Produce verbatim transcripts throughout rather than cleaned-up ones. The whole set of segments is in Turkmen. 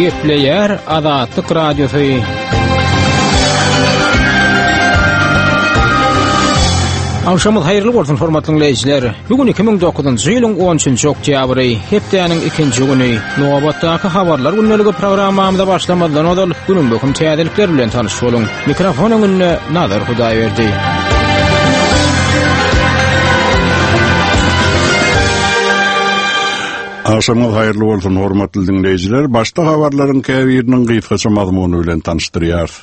Gepleýär Azatlyk Radiosy. Agşamyz haýyrly bolsun hormatly dinleýjiler. Bu gün iki müň dokuzynjy ýylyň on üçünji oktýabry, hepdäniň ikinji güni. Nobatdaky habarlar gündeligi programmamyza başlamazdan ozal günüň möhüm täzelikleri bilen tanyş boluň. Mikrofon öňünde Nazar Hudaýberdi. Agşamyňyz haýyrly bolsun hormatly dinleýjiler. Başda habarlaryň käbiriniň gysgaça mazmuny bilen tanyşdyrýarys.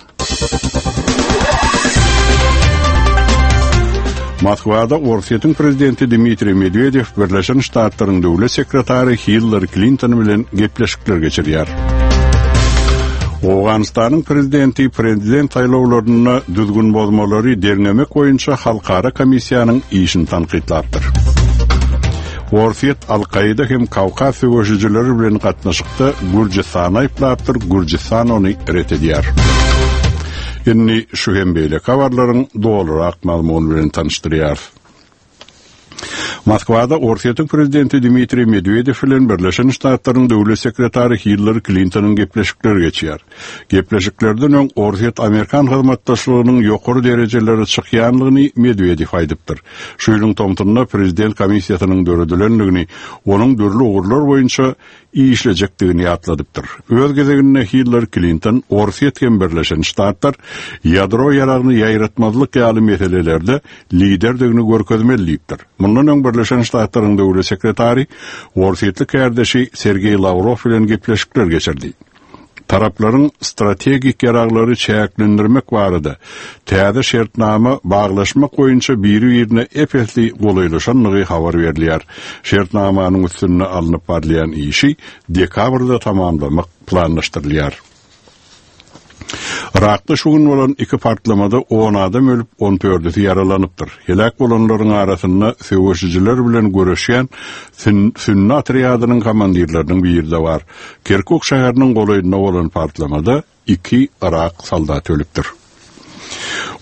Moskwada Orsýetiň prezidenti Dmitriý Medwedew Birleşen Ştatlaryň döwlet sekretary Hillary Klinton bilen gepleşikler geçirýär. Owganystanyň prezidenti prezident saýlawlarynda düzgün bozmalary derňemek boýunça halkara komissiýanyň işini tankytlapdyr. Orsýet Al-Kaida hem Kawkaz söweşijileri bilen gatnaşykda Gürjüstany aýyplapdyr, Gürjüstan ony ret edýär. Indi şu hem beýleki habarlaryň dolurak mazmuny bilen tanyşdyrýar. Moskwada Orsýetiň prezidenti Dmitriý Medwedew bilen Birleşen Ştatlaryň döwlet sekretary Hillary Klintonyň gepleşikleri geçýär. Gepleşiklerden öň Orsýet-Amerikan hyzmatdaşlygynyň ýokary derejelere çykýanlygyny Medwedew aýdypdyr. Şu ýylyň tomsunda prezident komissiýasynyň döredilendigini, onuň dürli ugurlar boýunça işlejekdigini ýatladypdyr. Öz gezeginde Hillary Klinton Orsýet hem Birleşen Ştatlar ýadro ýaragyny ýaýratmazlyk ýaly meselelerde liderdigini görkezmeli diýipdir. Mundan öň Birleşen Ştatlaryň döwlet sekretary Orsýetli kärdeşi Sergeý Lawrow bilen gepleşikler geçirdi. Taraplaryň strategik ýaraglary çäklendirmek barada täze şertnama baglaşmak boýunça biri-birine ep-esli golaýlaşandygy habar berilýär. Şertnamanyň üstünde alnyp barylýan işi dekabrda tamamlamak planlaşdyrylýar. Irakda şu gün bolan iki partlamada on adam ölüp, on dördüsi ýaralanypdyr. Helak bolanlaryň arasynda söweşijiler bilen göreşýän sün-, sünni otrýadynyň komandirleriniň biri de bar. Kirkuk şäheriniň golaýynda bolan partlamada iki Irak soldaty ölüpdir.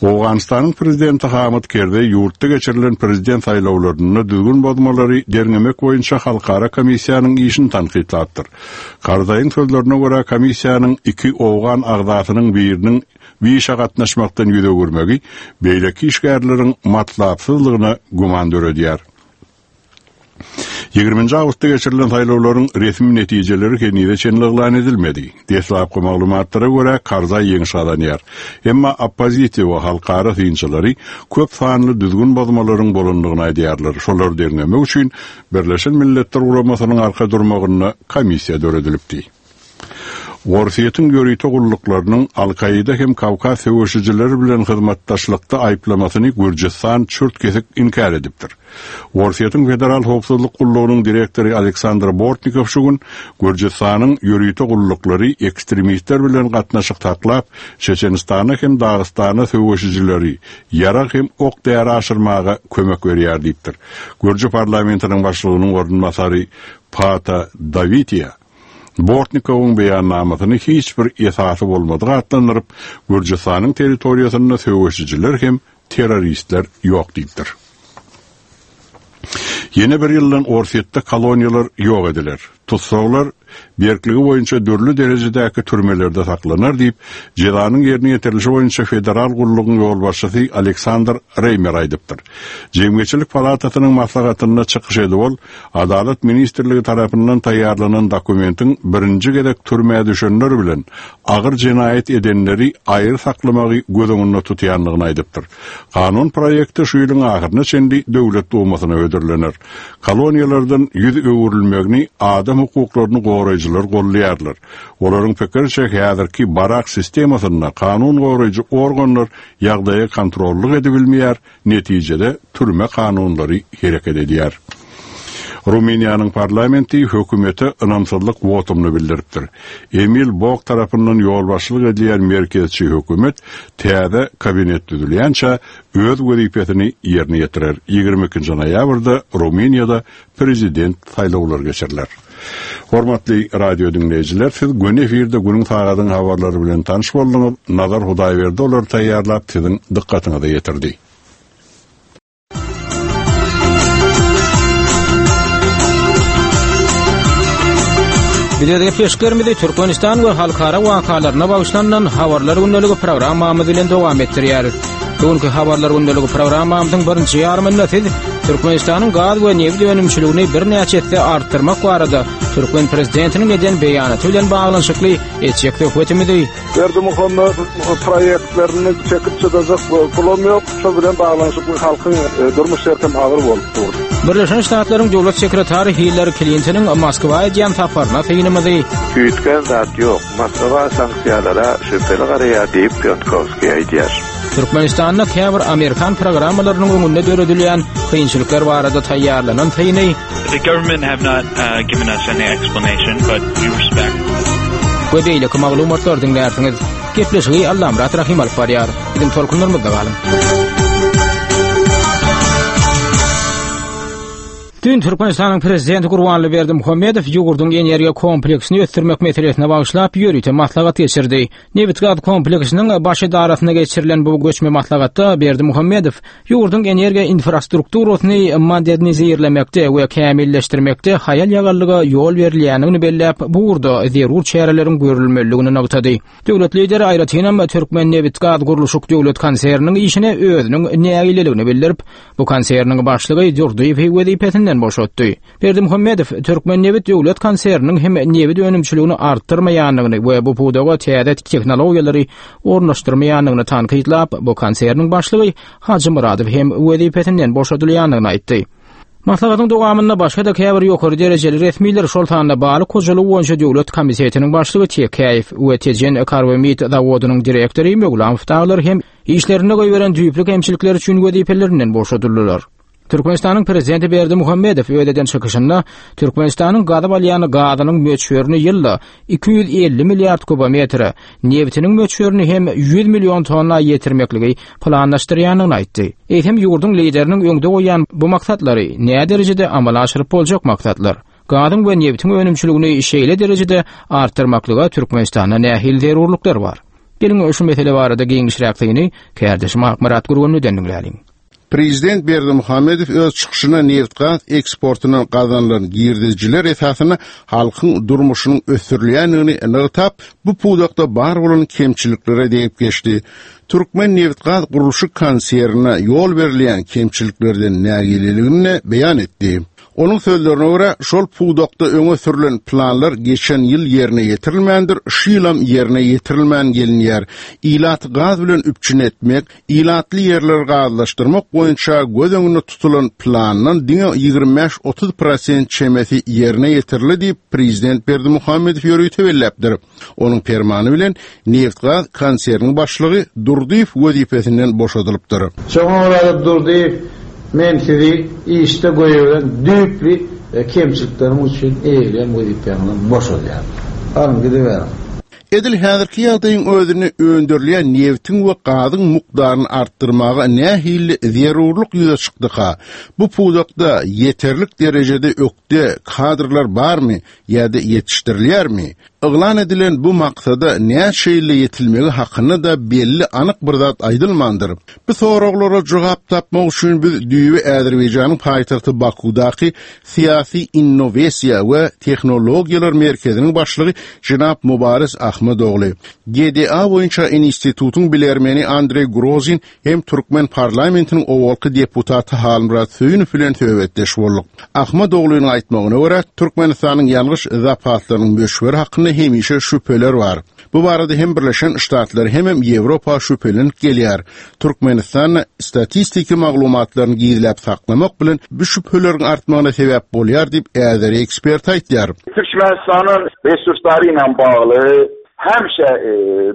Owganystanyň prezidenti Hamid Kerzeý ýurtda geçirilen prezident saýlawlarynda düzgün bozmalary derňemek boýunça halkara komissiýanyň işini tankytlapdyr. Karzaýyň sözlerine görä komissiýanyň iki owgan agzasynyň biriniň bu işe gatnaşmakdan ýüz öwürmegi beýleki işgärleriň matlapsyzlygyna güman döredýär. Ýigriminji awgustda geçirilen saýlawlaryň resmi netijeleri henize çenli yglan edilmedi. Deslapky maglumatlara görä Karzaý ýeňiş gazanýar. Emma oppozisiýa we halkara synçylary köp sanly düzgün bozmalaryň bolandygyny aýdýarlar. Şolary derňemek üçin Birleşen Milletler Guramasynyň arka durmagynda komissiýa döredilipdi. Orsýetiň ýörite gulluklarynyň Al-Kaida hem Kawkaz söweşijileri bilen hyzmatdaşlykda aýyplamasyny Gürjüstan çürt kesik inkär edipdir. Orsýetiň Federal Howpsuzlyk Gullugynyň direktory Aleksandr Bortnikow şu gün Gürjüstanyň ýörite gulluklary ekstremistler bilen gatnaşyk saklap, Çeçenistana hem Dagystana söweşijileri ýarag hem ok däri aşyrmaga kömek berýär diýipdir. Gürjü parlamentiniň başlygynyň orunbasary Pata Dawitiýa Bortnikowyň beýannamasyny hiç bir esasy bolmadyk atlandyryp, Gürjüstanyň territoriýasynda söweşijiler hem terroristler ýok diýipdir. Ýene bir ýyldan Orsýetde koloniýalar ýok ediler. Tutsaglar berkligi boýunça dürli derejedäki türmelerde saklanar diýip, jezanyň ýerine ýetirilişi boýunça federal gullugyň ýolbaşçysy Aleksandr Reýmer aýdypdyr. Jemgyýetçilik palatasynyň maslahatynda çykyş edip ol, Adalat ministrligi tarapyndan taýýarlanan dokumentiň birinji gezek türmä düşenler bilen agyr jenaýat edenleri aýry saklamagy göz öňünde tutýandygyny aýdypdyr. Kanun proýekti şu ýylyň ahyryna çenli döwlet dumasyna hödürlener. Koloniýalardan ýüz öwrülmegini adam hukuklaryny goraýjylar gollaýarlar. Olaryň pikiriçe häzirki barak sistemasynda kanun goraýjy organlar ýagdaýa kontrollyk edibilmeýär, netijede türme kanunlary hereket edýär. Rumyniýanyň parlamenti hökümete ynamsyzlyk wotumyny bildiripdir. Emil Bok tarapyndan ýolbaşçylyk edilýän merkezçi hökümet täze kabinet düzülýänçä öz wezipesini ýerine ýetirer. Ýigrimi ikinji noýabrda Rumyniýada prezident saýlawlary geçiriler. Hormatly radio dinleýjiler, siz gün efirde günüň sagadyň habarlary bilen tanyş bolduňyz. Nazar Hudaýberdi olary taýýarlap siziň dykgatyňyza ýetirdi. Biz öz gepleşiklerimizi Türkmenistan we halkara wakalaryna bagyşlanan habarlar gündeligi programmamyz bilen dowam etdirýäris. Bugünkü habarlar gündeligi programmamyzyň birinji ýarymynda siz Türkmenistanyň gaz we nebit önümçiligini birnäçe esse artdyrmak barada Türkmen prezidentiniň eden beýanaty bilen baglanyşykly etjek söhbetimizi Berdimuhamedow proýektlerini çekip çydajak pulam ýok. Şol bilen baglanyşykly halkyň e, durmuş şerti agyr bolup dur. Birleşen Ştatlaryň Döwlet sekretary Hillary Clintonyň Moskwa edýän saparyna synymyzy Üýtgän zat ýok. Moskwa sanksiýalara şübheli garaýar diýip Piotrkowski aýdýar. Türkmenistanda käbir Amerikan programmalarynyň öňünde döredilýän kynçylyklar barada taýýarlanan syny The government have not uh, given us any explanation, but we respect. we beýleki maglumatlar diňlärsiňiz. Gepleşigi Allamyrat Rahim alyp barýar. Biziň tolkunlarymyzda galyň. Dün Türkmenistanyň prezidenti Gurbanguly Berdimuhamedow ýurduň energiýa kompleksini ösdürmek meselesine bagyşlap ýörite maslahat geçirdi. Nebit-gaz kompleksiniň baş edarasynda geçirilen bu göçme maslahatda Berdimuhamedow ýurduň energiýa infrastrukturasyny modernizirlemekde we kämilleşdirmekde haýal ýagallyga ýol berilýändigini belläp, bu ugurda zerur çäreleriň görülmelidigini nygtady. Döwlet lideri aýratynam Türkmen Nebit-gaz gurluşyk döwlet konserniniň işine özüniň nägileligini bildirip, bu konserniň başlygy Durdyýewi wezipesinden boşatdy. Berdimuhamedow Türkmen Nebit döwlet konserniniň hem nebit önümçiligini artdyrmaýandygyny we bu pudaga täze tehnologiýalary ornaşdyrmaýandygyny tankytlap, bu konserniň başlygy Hajy Muradow hem wezipesinden boşadylýandygyny aýtdy. Maslahatyň dowamynda başga da käbir ýokary derejeli resmiler şol sanda Balyk hojalygy boýunça döwlet komitetiniň başlygy Tekäýew we Tejen Karbamid zawodynyň direktory Möwlamow daglar hem işlerinde goýberen düýpli kemçilikler üçin wezipelerinden boşadyldylar. Türkmenistanyň prezidenti Berdimuhamedow öz eden çykyşynda Türkmenistanyň gazyp alýan gazynyň möçberini ýylda iki ýüz elli milliard kubometre, nebitiniň möçberini hem ýüz million tonna ýetirmekligi planlaşdyrýandygyny aýtdy. Eýsem ýurduň lideriniň öňde goýan bu maksatlary näme derejede amala aşyryp boljak maksatlar? Gazyň we nebitiň önümçiligini şeýle derejede artdyrmaklyga Türkmenistanda nähili zerurlyklar bar? Geliň şu mesele barada giňişräk syny kärdeşim Akmyrat Gurgunlydan diňläliň. Prezident Berdimuhamedow öz çykyşyna neft-gaz eksportyndan gazanylan girdejiler esasynda halkyň durmuşynyň ösdürilýändigini nygtap, bu pudakda bar bolan kemçiliklere degip geçdi. Türkmen neft-gaz gurluşyk konsernine ýol berilýän kemçiliklerden nägileligini beýan etdi. Onuň sözlerine görä, şol pudakda öňe sürülen planlar geçen ýyl ýerine ýetirilmändir, şu ýylam ýerine ýetirilmän gelinýär. Ilat gaz bilen üpjün etmek, ilatly ýerleri gazlaşdyrmak boýunça göz öňünde tutulan plandan diňe ýigrimi bäş otuz prosent çemesi ýerine ýetirildi diýip prezident Berdimuhamedow ýörite belläpdir. Onuň permany bilen neft-gaz konserniniň başlygy Durdyýew wezipesinden boşadylypdyr. Şoňa görä Durdyýew men sizi işde goýulan düýpli kemçilikleriň üçin eýeleýän wezipäňizden boşadýan. Alın gidiberiň. Edil häzirki ýagdaýyň özüni öndürilýän nebitiň we gazyň mukdaryny artdyrmaga nähili zerurlyk ýüze çykdyka? Bu pudakda ýeterlik derejede ökde kadrlar barmy ýa-da ýetişdirilýärmi? Yglan edilen bu maksada näçe ýylda ýetilmegi hakynda da belli anyk bir zat aýdylmandyr. Bu soraglara jogap tapmak üçin biz düýbi Azerbaýjanyň paýtagty Bakudaky Syýasy Innowasiýa we Tehnologiýalar merkeziniň başlygy Jenap Mubarez Ahmedogly, G D A boýunça institutyň bilermeni Andrey Grozin hem Türkmen parlamentiniň owalky deputaty Halmyrat Söýünow bilen söhbetdeş bolduk. Ahmedoglynyň aýtmagyna görä, Türkmenistanyň ýalňyş zapatlarynyň möçberi hakynda hemişe şübheler bar. Bu barada hem Birleşen Ştatlar hem hem Ýewropa şübhelenip gelýär. Türkmenistan statistiki maglumatlaryny gizläp saklamak bilen bu şübheleriň artmagyna sebäp bolýar diýip äzeri ekspert aýtýar. Türkmenistanyň resurslary ilə bagly həmişə, e,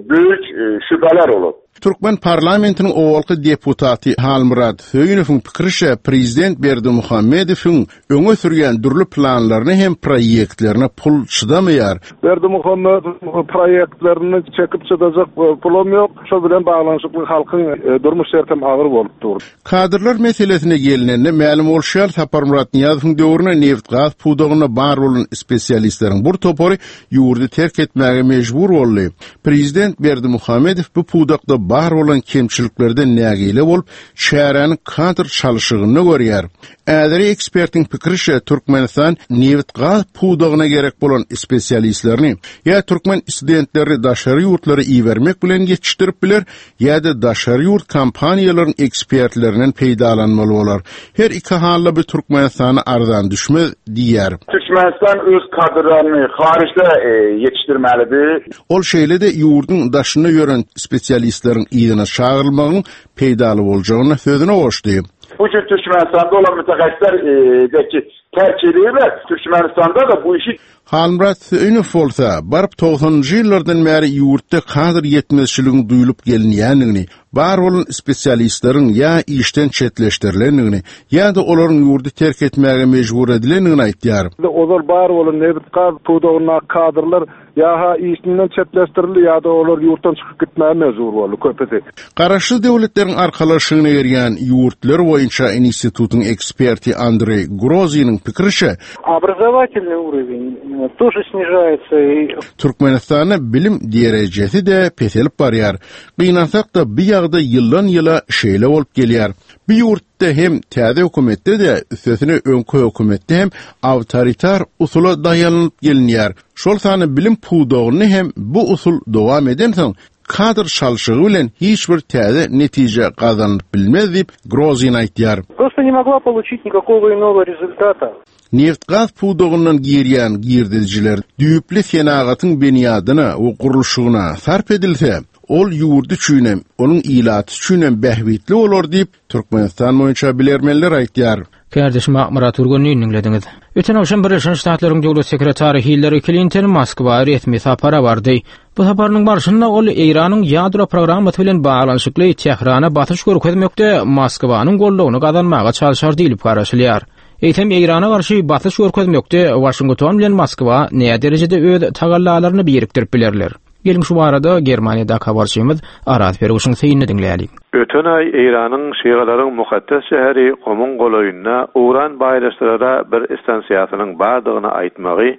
böyük, e, şübhələr olub. Türkmen parlamentiniň owalky deputaty Halmyrat Söýünowyň pikirişe prezident Berdimuhamedowyň öňe sürýän dürli planlaryny hem proýektlerine pul çydamaýar. Berdimuhamedow proýektlerini çekip çydajak pulam ýok. Şol bilen baglanyşykly halkyň, e, durmuş şerti agyr bolup dur. Kadrlar meselesine gelinende mälim bolşy ýaly Saparmyrat Nyýazowyň döwründe neft-gaz pudagynda bar bolan spesialistleriň bir topary ýurdy terk etmäge mejbur boldy. Prezident Berdimuhamedow bu pudakda pudakda bar bolan kemçiliklerden nägile bolup, çäräni kadr çalşygyny görýär. Äzeri ekspertiň pikirişe Türkmenistan neft gaz pudagyna gerek bolan spesialistlerini ýa türkmen studentleri daşary ýurtlara ibermek bilen ýetişdirip biler ýa-da daşary ýurt kompaniýalaryň ekspertlerinden peýdalanmaly bolar. Her iki halda bu Türkmenistana arzan düşmez diýär. Türkmenistan öz kadrlaryny xaricdə e, yetişdirməlidir. Ol şeýle de ýurduň daşyna ýören spesialistleriň ýygyna çağırylmagyň peýdaly boljagyny sözüne goşdy. Bu gün Türkmenistanda olan mütəxəssislər e, de ki, tərk edirlər. Türkmenistanda da bu işi Halmyrat Söýünow bolsa, baryp togsanynjy ýyllardan bäri ýurtda kadr ýetmezçiligiň duýulyp gelinýändigini, bar bolan spesialistleriň ýa işden çetleşdirilendigini, ýa-da olaryň ýurdy terk etmäge mejbur edilendigini aýtýar. Ozal bar bolan nebit gaz pudagyna kadrlar ýa işinden çetleşdirildi ýa-da olar ýurtdan çykyp gitmäge mejbur boldy köpüsi. Garaşsyz döwletleriň arkalaşygyna girýän ýurtlar boýunça institutyň eksperti Andrei Groziniň pikirişe Образовательный уровень э, тоже снижается и Türkmenistanda bilim derejesi de peselip barýar. Gynansak da bir ýagda ýyldan ýyla şeýle bolup gelýär. Bir ýurtda hem täze hökümetde de üstesine öňkü hökümetde hem awtoritar usula daýanyp gelinýär. Şol sany bilim pudagyny hem bu usul dowam edensoň kadr çalşygy bilen hiç bir täze netije gazanyp bilmez diýip Grozin aýtýar. просто не могла получить никакого иного результата. Neft gaz pudagyndan girýän girdiciler düýpli senagatyň binýadyna we gurluşygyna sarp edilse, ol ýurdy üçinem, onuň ilaty üçinem bähbitli bolar diýip Türkmenistan boýunça bilermenler aýtýar. Kardeşim Murat Urgunny dinlediňiz. Öten agşam Birleşen Ştatlaryň Döwlet Sekretary Hillary Clinton Moskwa resmi sapara bardy. Bu saparynyň barşynda ol Eýranyň ýadro programmasy bilen baglanyşykly Tährana basyş görkezmekde Moskwanyň goldawyny gazanmaga çalşar diýilip garaşylýar. Eýsem Eýrana garşy basyş görkezmekde Washington bilen Moskwa näme derejede öz tagallalaryny birikdirip bilerler? Gelin şu barada Germaniýada habarçymyz Araz Perguşyň seýini diňläýlik. Öten aý Eýranyň şialaryň mukaddes şäheri Gomuň golaýynda uran baýlaşdyra bir istansiýasynyň bardygyny aýtmagy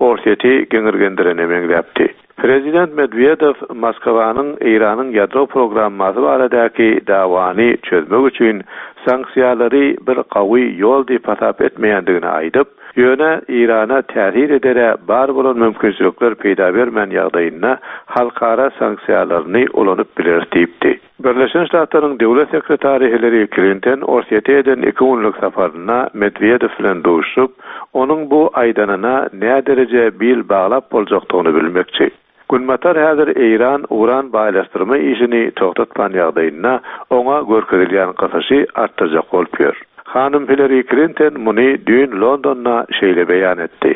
Orsýeti geňirgendirene meňzäpdi. Prezident Medvedev Moskwanyň Eýranyň ýadro programmasy baradaky dawany çözmek üçin sanksiýalary bir gawy ýol diýip hasap etmeýändigini aýdyp, ýöne Eýrana täsir edere bar bolan mümkinçilikler peýda bermän ýagdaýynda halkara sanksiýalaryny ulanyp biler diýipdi. Birleşen Ştatlaryň Döwlet Sekretary Hillary Clinton Orsýete eden iki günlük saparyna Medvedev bilen duşup, onuň bu aýdanyna näme dereje bil baglap boljakdygyny bilmekçi. Günbatar häzir Eýran uran baýlaşdyrma işini togtatman ýagdaýynda oňa görkezilýän gysyşy artdyrjak bolup ýör. Hanym Hillary Clinton muny düýn Londonda şeýle beýan etdi.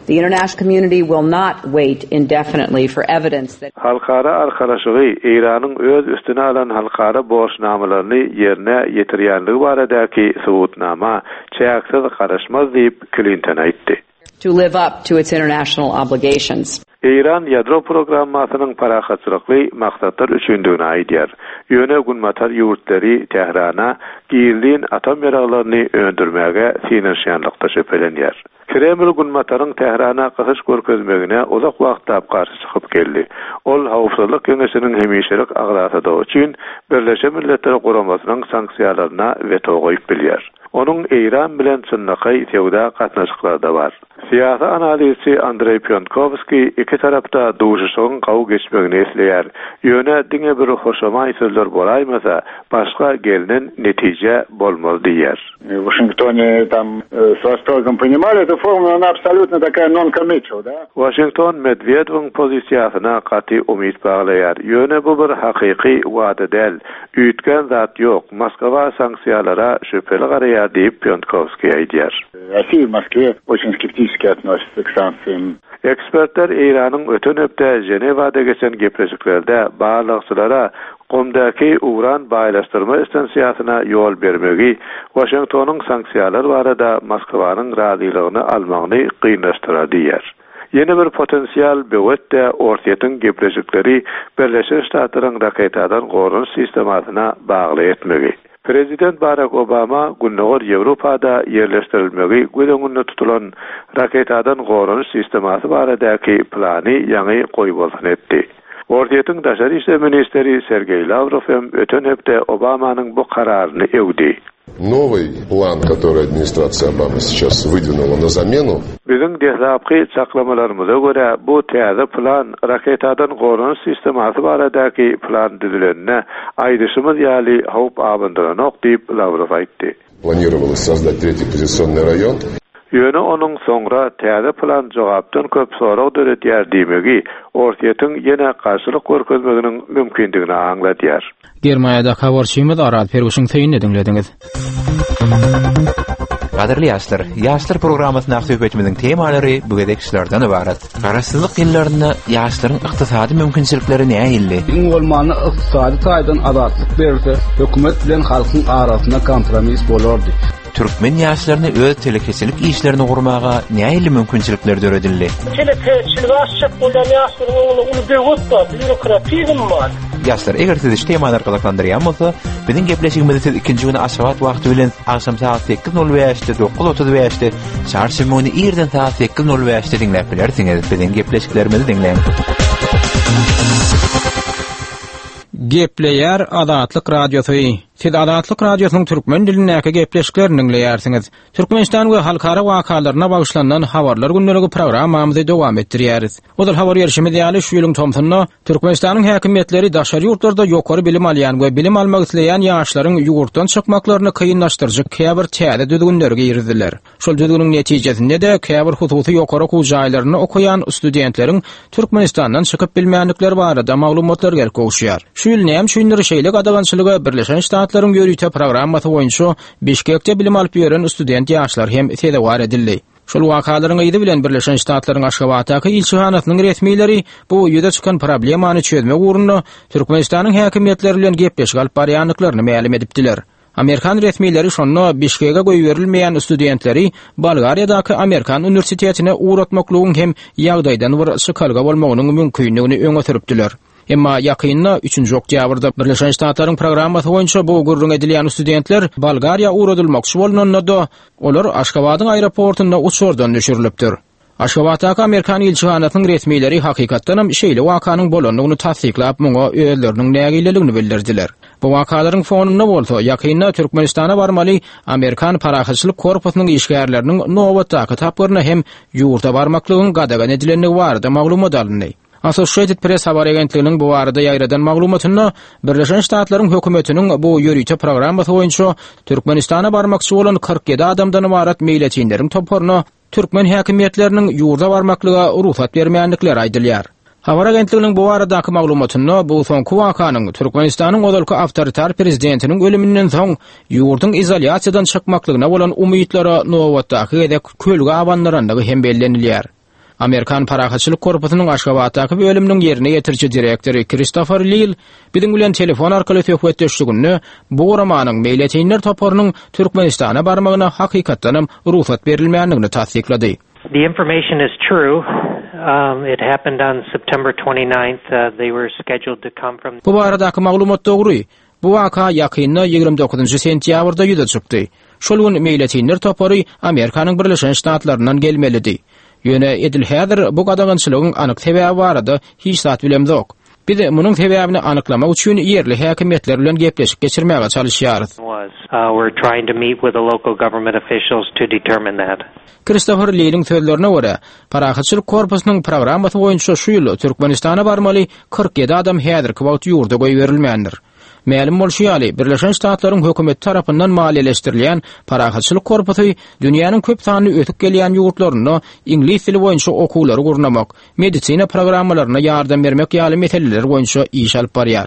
The international community will not wait indefinitely for evidence that Halkara arkalaşygy Eýranyň öz üstüne alan halkara borçnamalaryny ýerine ýetirýänligi baradaky subutnama çäksiz garaşmaz diýip Clinton aýtdy. to live up to its international obligations. Eýran ýadro programmasynyň parahatçylykly maksatlar üçindigini aýdýar. Ýöne Günbatar ýurtlary Tährana gizlin atom ýaraglaryny öndürmäge synanyşýanlykda şübhelenýär. Kreml Günbataryň Tährana gysyş görkezmegine uzak wagtlap garşy çykyp geldi. Ol Howpsuzlyk Geňeşiniň hemişelik agzasydygy üçin Birleşen Milletler Guramasynyň sanksiýalaryna weto goýup bilýär. Onuň Eýran bilen çynlakaý söwda gatnaşyklary da bar. Syýasy analizçi Andrei Pionkowski iki tarapda duşuşygyň gawy geçmegini isleýär. Ýöne diňe bir hoşamaý sözler bolaýmasa, başga gelnen netije bolmaz diýär. В Вашингтоне там э, с восторгом понимали эту формулу, она абсолютно такая non-committal, да? Washington Medvedeviň pozisiýasyna gaty umyt baglaýar. Ýöne bu bir hakyky wada däl. Üýtgän zat ýok. Moskwa sanksiýalara şübheli garaýar diýip Pionkowski aýdýar. Россия в Москве очень скептически относится к санкциям. Ekspertler Eýranyň öten hepde Ženewada geçen gepleşiklerde barlagçylara Gomdaki uran baýlaşdyrma istansiýasyna ýol bermegi Washingtonyň sanksiýalar barada Moskwanyň razylygyny almagyny kynlaşdyrar diýär. Ýene bir potensial böwet-de Orsýetiň gepleşikleri Birleşen Ştatlaryň raketadan goranyş sistemasyna bagly etmegi. Prezident Barack Obama Gündogar Ýewropada ýerleşdirilmegi göz öňünde tutulan raketadan goranyş sistemasy baradaky plany ýaňy goýbolsun etdi. Orsýetiň daşary işler ministri Sergeý Lawrow hem öten hepde Obamanyň bu kararyny öwdi. Новый план, который администрация Обамы сейчас выдвинула на замену. Biziň deslapky çaklamalarymyza görä, bu täze plan raketadan goranyş sistemasy baradaky plan düzülenine aýdyşymyz ýaly howp abandyranok diýip Lawrow aýtdy. Планировалось создать третий позиционный район. Ýöne onuň soňra täze plan jogapdan köp sorag döredýär diýmegi Orsýetiň ýene garşylyk görkezmeginiň mümkindigini aňladýar. Germaniýada habarçymyz Arat Perwişiň sözüni diňlediňiz. Gadyrly ýaşlar, ýaşlar programmasyndaky söhbetimiziň temalary bu gezek şulardan ybarat. Garaşsyzlyk ýyllarynda ýaşlaryň ykdysady mümkinçilikleri nähili? Iň bolmanda ykdysady taýdan azatlyk berilse, hökümet bilen halkyň arasynda kompromis bolardy. Türkmen ýaşlaryny öz telekeçilik işlerini gurmaga nähili mümkinçilikler döredildi? Telekeçilik açjak bolýan ýaşlaryň öňünde uly böwet bar, býurokratizm bar. Ýaşlar, eger sizi şu temalar gyzyklandyrýan bolsa, biziň gepleşigimizi siz ikinji güni Aşgabat wagty bilen agşam saat sekiz nol bäşde, dokuz otuz bäşde, çarşenbe güni irden saat sekiz nol bäşde diňläp bilersiňiz. Biziň gepleşiklerimizi diňläň. Gepleýär Azatlyk Radiosy. Siz Azatlyk Radiosynyň türkmen dilindäki gepleşiklerini diňleýärsiňiz. Türkmenistan we halkara wakalaryna bagyşlanan habarlar gündeligi programmamyzy dowam etdirýäris. Ozal habar berişimiz ýaly şu ýylyň tomsunda Türkmenistanyň häkimiýetleri daşary ýurtlarda ýokary bilim alýan we bilim almak isleýän ýaşlaryň ýurtdan çykmaklaryny kynlaşdyryjy käbir täze düzgünleri girizdiler. Şol düzgüniň netijesinde de käbir hususy ýokary okuw jaýlarynda okaýan studentleriň Türkmenistandan çykyp bilmänlikleri barada maglumatlar gelip gowuşýar. Şu ýyl näme üçindir şeýle gadagançylyga Birleşen Ştatlaryň ýörite programmasy boýunça Bişkekde bilim alyp ýören student ýaşlar hem sezewar edildi. Şol wakalaryň yzy bilen Birleşen Ştatlaryň Aşgabatdaky ilçihanasynyň resmileri bu ýüze çykan problemany çözmek ugrunda Türkmenistanyň häkimiýetleri bilen gepleşik alyp barýandyklaryny mälim edipdiler. Amerikan resmileri şonda Bişkege goýberilmeýän studentleri Bolgariýadaky Amerikan uniwersitetine ugratmaklygyň hem ýagdaýdan bir çykalga bolmagynyň mümkinligini öňe sürüpdiler. Emma ýakynda üçünji oktýabrda Birleşen Ştatlaryň programmasy boýunça bu gürrüň edilýän studentler Bolgariýa ugradylmakçy bolnanda-da, olar Aşgabadyň aeroportunda uçardan düşürilipdir. Aşgabatdaky Amerikan ilçihanasynyň resmileri hakykatdan hem şeýle wakanyň bolandygyny tassyklap, muňa özleriniň nägileligini bildirdiler. Bu wakalaryň fonunda bolsa ýakynda Türkmenistana barmaly Amerikan Parahatçylyk Korpusynyň işgärleriniň nobatdaky tapgyryna hem ýurda barmaklygyň gadagan edilendigi barada maglumat alyndy. Associated Press habar agentliginiň bu barada ýaýradan maglumatynda Birleşen Ştatlaryň hökümetiniň bu ýörite programmasy boýunça Türkmenistana barmakçy bolan kyrk ýedi adamdan ybarat meýletinleriň toparyna türkmen häkimiýetleriniň ýurda barmaklyga rugsat bermänlikleri aýdylýar. Habar agentliginiň bu baradaky maglumatynda bu soňky wakanyň Türkmenistanyň ozalky awtoritar prezidentiniň ölüminden soň ýurduň izolýasiýadan çykmaklygyna bolan umytlara nobatdaky gezek kölge abandyrandygy hem bellenilýär. Amerikan Parahatçylyk Korpusynyň Aşgabatdaky bölüminiň ýerine ýetiriji direktory Christopher Lil biziň bilen telefon arkaly söhbetdeşliginde bu guramanyň meýletinler toparynyň Türkmenistana barmagyna hakykatdan hem rugsat berilmändigini tassyklady. The information is true. Um, it happened on September twenty-ninth. Uh, they were scheduled to come from Bu baradaky maglumat dogry. Bu waka ýakynda ýigrimi dokuzynjy sentýabrda ýüze çykdy. Şol gün meýletinler topary Amerikanyň Birleşen Ştatlaryndan gelmelidi. Ýöne edil häzir bu gadagançylygyň anyk sebäbi barada hiç zat bilemzok. Biz munuň sebäbini anyklamak üçin ýerli häkimiýetler bilen gepleşik geçirmäge çalışýarys. Was. Uh, we're trying to meet with the local government officials to determine that. Christopher Liliň sözlerine görä, Parahatçylyk Korpusynyň programmasy boýunça şu ýyl Türkmenistana barmaly kyrk ýedi adam häzirki wagt ýurda goýberilmändir. Mälim bolşy ýaly, Birleşen Ştatlaryň hökümeti tarapyndan maliýeleşdirilýän Parahatçylyk Korpusy dünýäniň köp sanly ösüp gelýän ýurtlarynda iňlis dili boýunça okuwlary gurnamak, medisina programmalaryna ýardam bermek ýaly meseleler boýunça iş alyp barýar.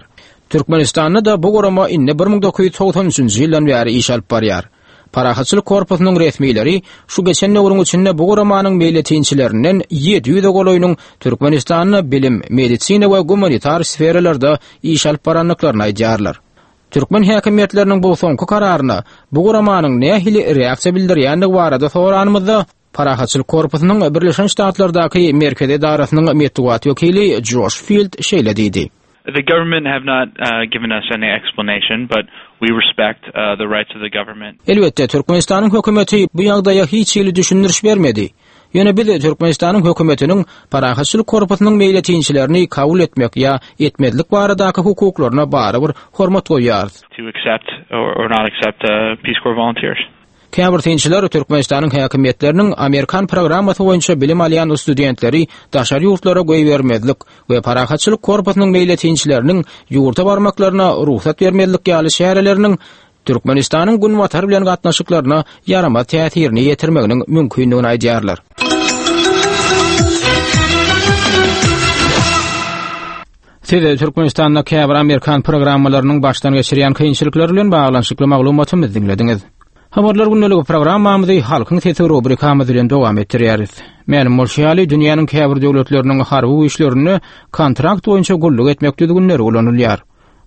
Türkmenistanda da bu gurama indi bir müň dokuz ýüz togsan üçünji ýyldan bäri iş alyp barýar. Parahatçylyk Korpusynyň resmileri şu geçen döwrüň içinde bu guramanyň meýletinçilerinden ýedi ýüze golaýynyň Türkmenistanda bilim, medisina we gumanitar sferalarda iş alyp barandyklaryny aýdýarlar. Türkmen häkimiýetleriniň bu soňky kararyna bu guramanyň nähili reaksiýa bildirýändigi barada soranymyzda Parahatçylyk Korpusynyň Birleşen Ştatlardaky merkezi edarasynyň metbugat wekili Josh Field şeýle diýdi. The government have not, uh, given us any explanation, but we respect, uh, the rights of the government. Elbetde, Türkmenistanyň hökümeti bu ýagdaýa hiç hili düşündiriş bermedi. Ýöne biz Türkmenistanyň hökümetiniň parahatçylyk korpusynyň meýletinçilerini kabul etmek ýa etmezlik baradaky hukuklaryna barybir hormat goýýarys. To accept or, or not accept uh, Peace Corps volunteers. Käbir synçylar Türkmenistanyň häkimiýetleriniň Amerikan programmasy boýunça bilim alýan studentleri daşary ýurtlara goýbermezlik we parahatçylyk korpusynyň meýletinçileriniň ýurda barmaklaryna rugsat bermezlik ýaly çäreleriniň Türkmenistanyň Günbatar bilen gatnaşyklaryna ýaramaz täsirini ýetirmeginiň mümkindigini aýdýarlar. Siz Türkmenistanda käbir Amerikan programmalarynyň başdan geçirýän kynçylyklary bilen baglanyşykly maglumatymyzy diňlediňiz. Habarlar gündeligi programmamyzy Halkyň sesi rubrikamyz bilen dowam etdirýäris. Mälim bolşy ýaly, dünýäniň käbir döwletleriniň harby güýçlerinde kontrakt boýunça gulluk etmek düzgünleri ulanylýar.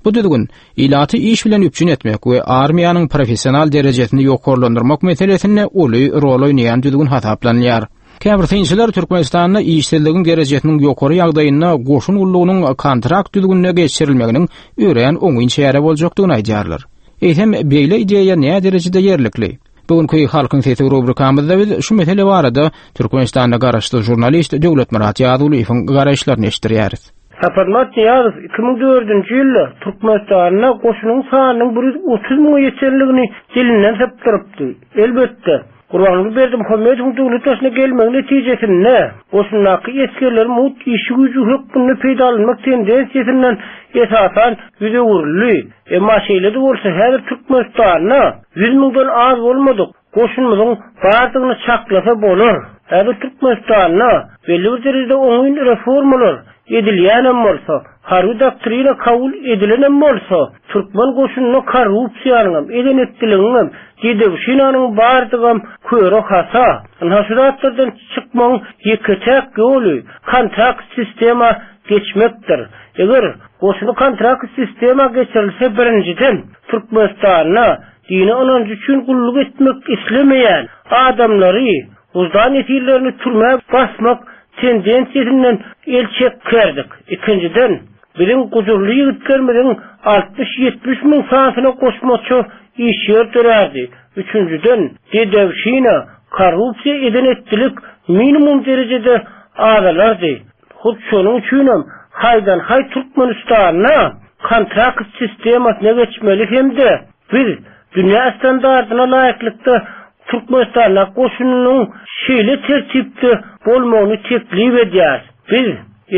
Bu düzgün ilaty iş bilen üpjün etmek we armiýanyň professional derejesini ýokarlandyrmak meselesinde uly rol oýnaýan düzgün hasaplanylýar. Käbir synçylar Türkmenistanda işsizligiň derejesiniň ýokary ýagdaýynda goşun gullugynyň kontrakt düzgünine geçirilmeginiň örän oňyn çäre boljakdygyny aýdýarlar. Eýsem beýle ideýa näme derejede ýerlikli? Bugünkü Halkyň sesi rubrikamyzda biz şu mesele barada Türkmenistanda garaşsyz žurnalist Döwletmyrat Ýazulyýewiň garaýyşlaryny eşitdirýäris. Saparmyrat Nyýazow iki müň dördünji ýylda Türkmenistanda goşunyň sanynyň bir ýüz otuz müňe ýetenligini dilinden sypdyrypdy. Elbetde, Gurbanguly Berdimuhamedowyň döwlet başyna gelmegi netijesinde goşundaky esgerleri mugt işçi güýji hökmünde peýdalanmak tendensiýasyndan esasan ýüz öwrüldi. Emma şeýle-de bolsa häzir Türkmenistanda ýüz müňden az bolmadyk goşunymyzyň bardygyny çaklasa bolar. Häzir Türkmenistanda belli bir derejede oňyn reformalar edilýänem bolsa, harby doktrina kabul edilenem bolsa, türkmen goşunynda korrupsiýanyň, eden-etdiligiň, dedewşinanyň bardygam köre hasa. Ynha şu zatlardan çykmagyň ýeke-täk ýoly kontrakt sistema geçmekdir. Eger goşuny kontrakt sistema geçirilse birinjiden Türkmenistanda dini ynanjy üçin gulluk etmek islemeýän adamlary, uzdan esirlerini türmä basmak tendensiýasyndan el çekerdik. Ikinjiden, biziň gujurly ýigitlerimiziň altmyş ýetmiş müň sanyna goşmaça iş ýer dörärdi. Üçünjiden, dedewşina, korrupsiýa eden etdilik minimum derejede azalardy. Hut şonuň üçinem haýdan haý Türkmenistanda kontrakt sistemasyna geçmeli hem-de biz dünýä standartyna laýyklykda Türkmenistanda goşunynyň şeýle tertipde bolmagyny teklip edýär. Biz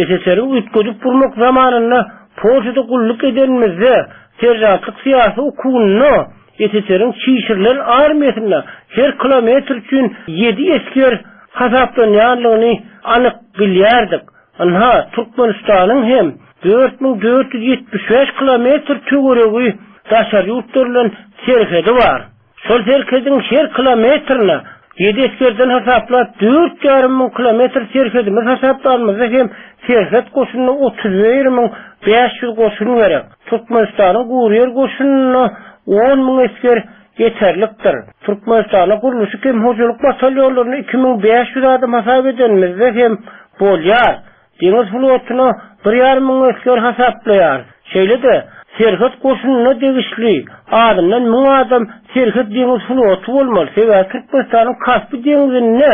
S S R-iň üýtgedip gurmak zamanynda Polşada gulluk edenimizde serjantlyk syýasy okuwynda S S R-iň çişirilen armiýasynda her kilometr üçin ýedi esger hasaplanýanlygyny anyk bilýärdik. Ynha, Türkmenistanyň hem dört müň dört ýüz ýetmiş bäş kilometr töweregi daşary ýurtlar bilen serhedi bar. Şol serhediň her kilometrine ýedi esgerden hasaplap dört ýarym müň kilometr serhedimiz hasaplanymyzda hem serhet goşunyna otuz bir müň bäş ýüz goşun gerek. Türkmenistanyň guryýer goşunyna on müň esger ýeterlikdir. Türkmenistanyň gurluşyk hem hojalyk batalýonlaryna iki müň bäş ýüz adam hasap edenimizde hem bolýar. Deňiz flotuna bir ýarym müň esger hasaplaýar. Şeýle-de serhet goşunyna degişli adyndan müň adam serhet deňiz floty bolmaly. Sebäbi Türkmenistanyň Kaspi deňzinde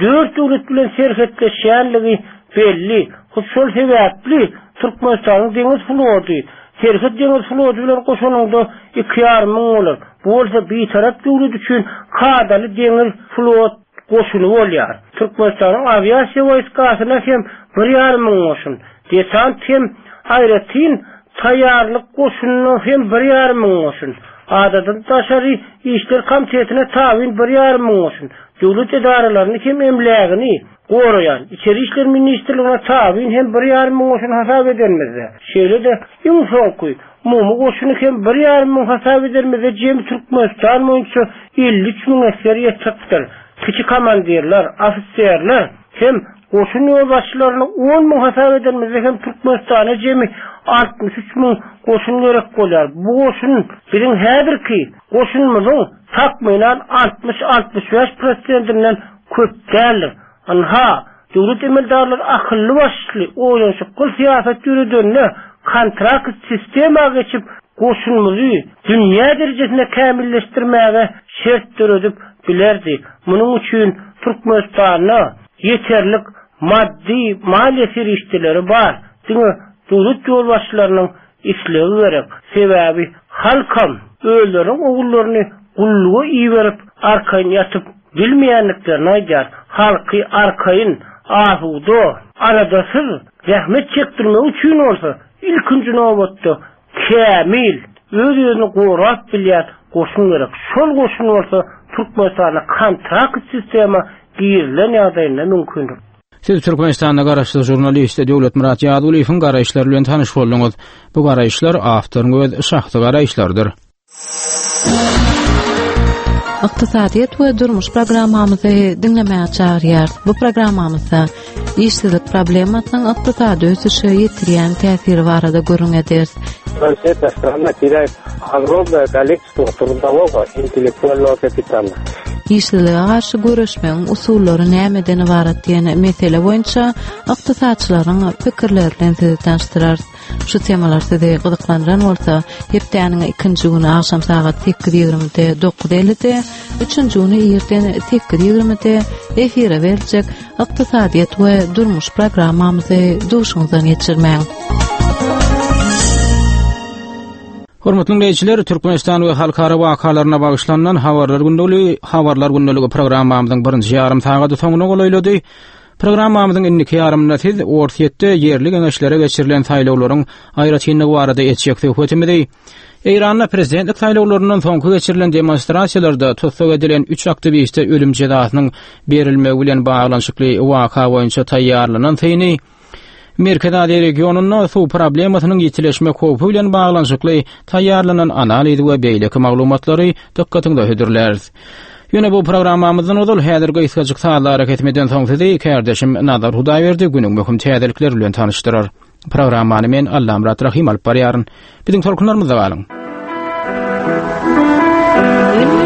dört döwlet bilen serhetleşýänligi belli. Hut şol sebäpli Türkmenistanyň deňiz floty serhet deňiz floty bilen goşanynda iki ýarym müň bolar. Bu bolsa bitarap döwlet üçin kadaly deňiz flot goşuny bolýar. Türkmenistanyň awiasiýa wojskasyna hem bir ýarym müň goşun, desant hem aýratyn taýýarlyk goşunyna hem bir ýarym müň goşun, adadan daşary işler komitetine tabyn bir ýarym müň goşun, döwlet edaralaryny hem emlägini goraýan İçeri İşler Ministrligine tabyn hem bir ýarym müň goşun hasap edenimizde, şeýle-de iň soňky umumy goşuny hem bir ýarym müň hasap edenimizde jemi Türkmenistan boýunça elli üç müň esger ýetipdir. Kiçi komandirler, ofiserler hem goşun ýolbaşçylaryny on müň hasap edenimizde hem Türkmenistana jemi altmyş üç müň goşun gerek bolýar. Bu goşun biziň häzirki goşunymyzyň takmynan altmyş altmyş bäş prosentinden köp däldir. Ynha, döwlet emeldarlary akylly başly oýlanşykly syýasat ýöredende kontrakt sistema geçip goşunymyzy dünýä derejesinde kämilleşdirmäge şert döredip bilerdi. Munuň üçin Türkmenistanda Ýeterlik maddy, maliýe serişdeleri bar. Diňe döwlet ýolbaşçylarynyň islegi gerek. Sebäbi halkam özleriniň ogullaryny gulluga iberip arkaýyn ýatyp bilmeýändiklerini aýdýar. Halky arkaýyn, asuda, aladasyz zähmet çekdirmek üçin bolsa ilkinji nobatda kämil, öz-özüni gorap bilýän goşun gerek. Şol goşun bolsa Türkmenistanda kontrakt sistema girilen ýagdaýynda mümkindir. Siz Türkmenistanda garaşsyz žurnalist Döwletmyrat Ýazgulyýewiň garaýyşlary bilen tanyş bolduňyz. Bu garaýyşlar awtoryň öz şahsy garaýyşlarydyr. Ykdysadyýet we durmuş programmamyzy diňlemäge çagyrýarys. Bu programmamyzda işsizlik problemasynyň ykdysady ösüşe ýetirýän täsiri barada gürrüň ederis. Эта страна теряет огромное количество трудового интеллектуального kapitala. Işsizlige garşy göreşmegiň usullary nämeden ybarat diýen mesele boýunça ykdysatçylaryň pikirleri bilen sizi tanyşdyrarys. Şu temalar sizi gyzyklandyran bolsa, hepdäniň ikinji güni agşam sagat sekiz ýigrimide dokuz ellide, üçünji güni irden sekiz ýigrimide efire beriljek ykdysadyýet we durmuş programmamyzy duşuňyzdan geçirmäň. Hormatly dinleýjiler, Türkmenistan we halkara wakalaryna bagyşlanan habarlar gündeligi, habarlar gündeligi programmamyzyň birinji ýarym sagady soňuna golaýlady. Programmamyzyň indiki ýarymynda siz Orsýetde ýerli geňeşlere geçirilen saýlawlaryň aýratynlygy barada etjek söhbetimizi, Eýranda prezidentlik saýlawlaryndan soňky geçirilen demonstrasiýalarda tussag edilen üç aktiwiste ölüm jezasynyň berilmegi bilen baglanyşykly waka boýunça taýýarlanan syny, Merkezi Aziýa regionynda suw problemasynyň ýitileşmek howpy bilen baglanyşykly taýýarlanan analiz we beýleki maglumatlary dykgatyňyza hödürläris. Ýöne bu programmamyzdan ozal häzir gysgajyk sazlara kesmeden soň sizi kardeşim Nazar Hudaýberdi günüň möhüm täzelikleri bilen tanyşdyrar. Programmany men Allamyrat Rahim alyp barýaryn. Biziň tolkunlarymyzda galyň. Ay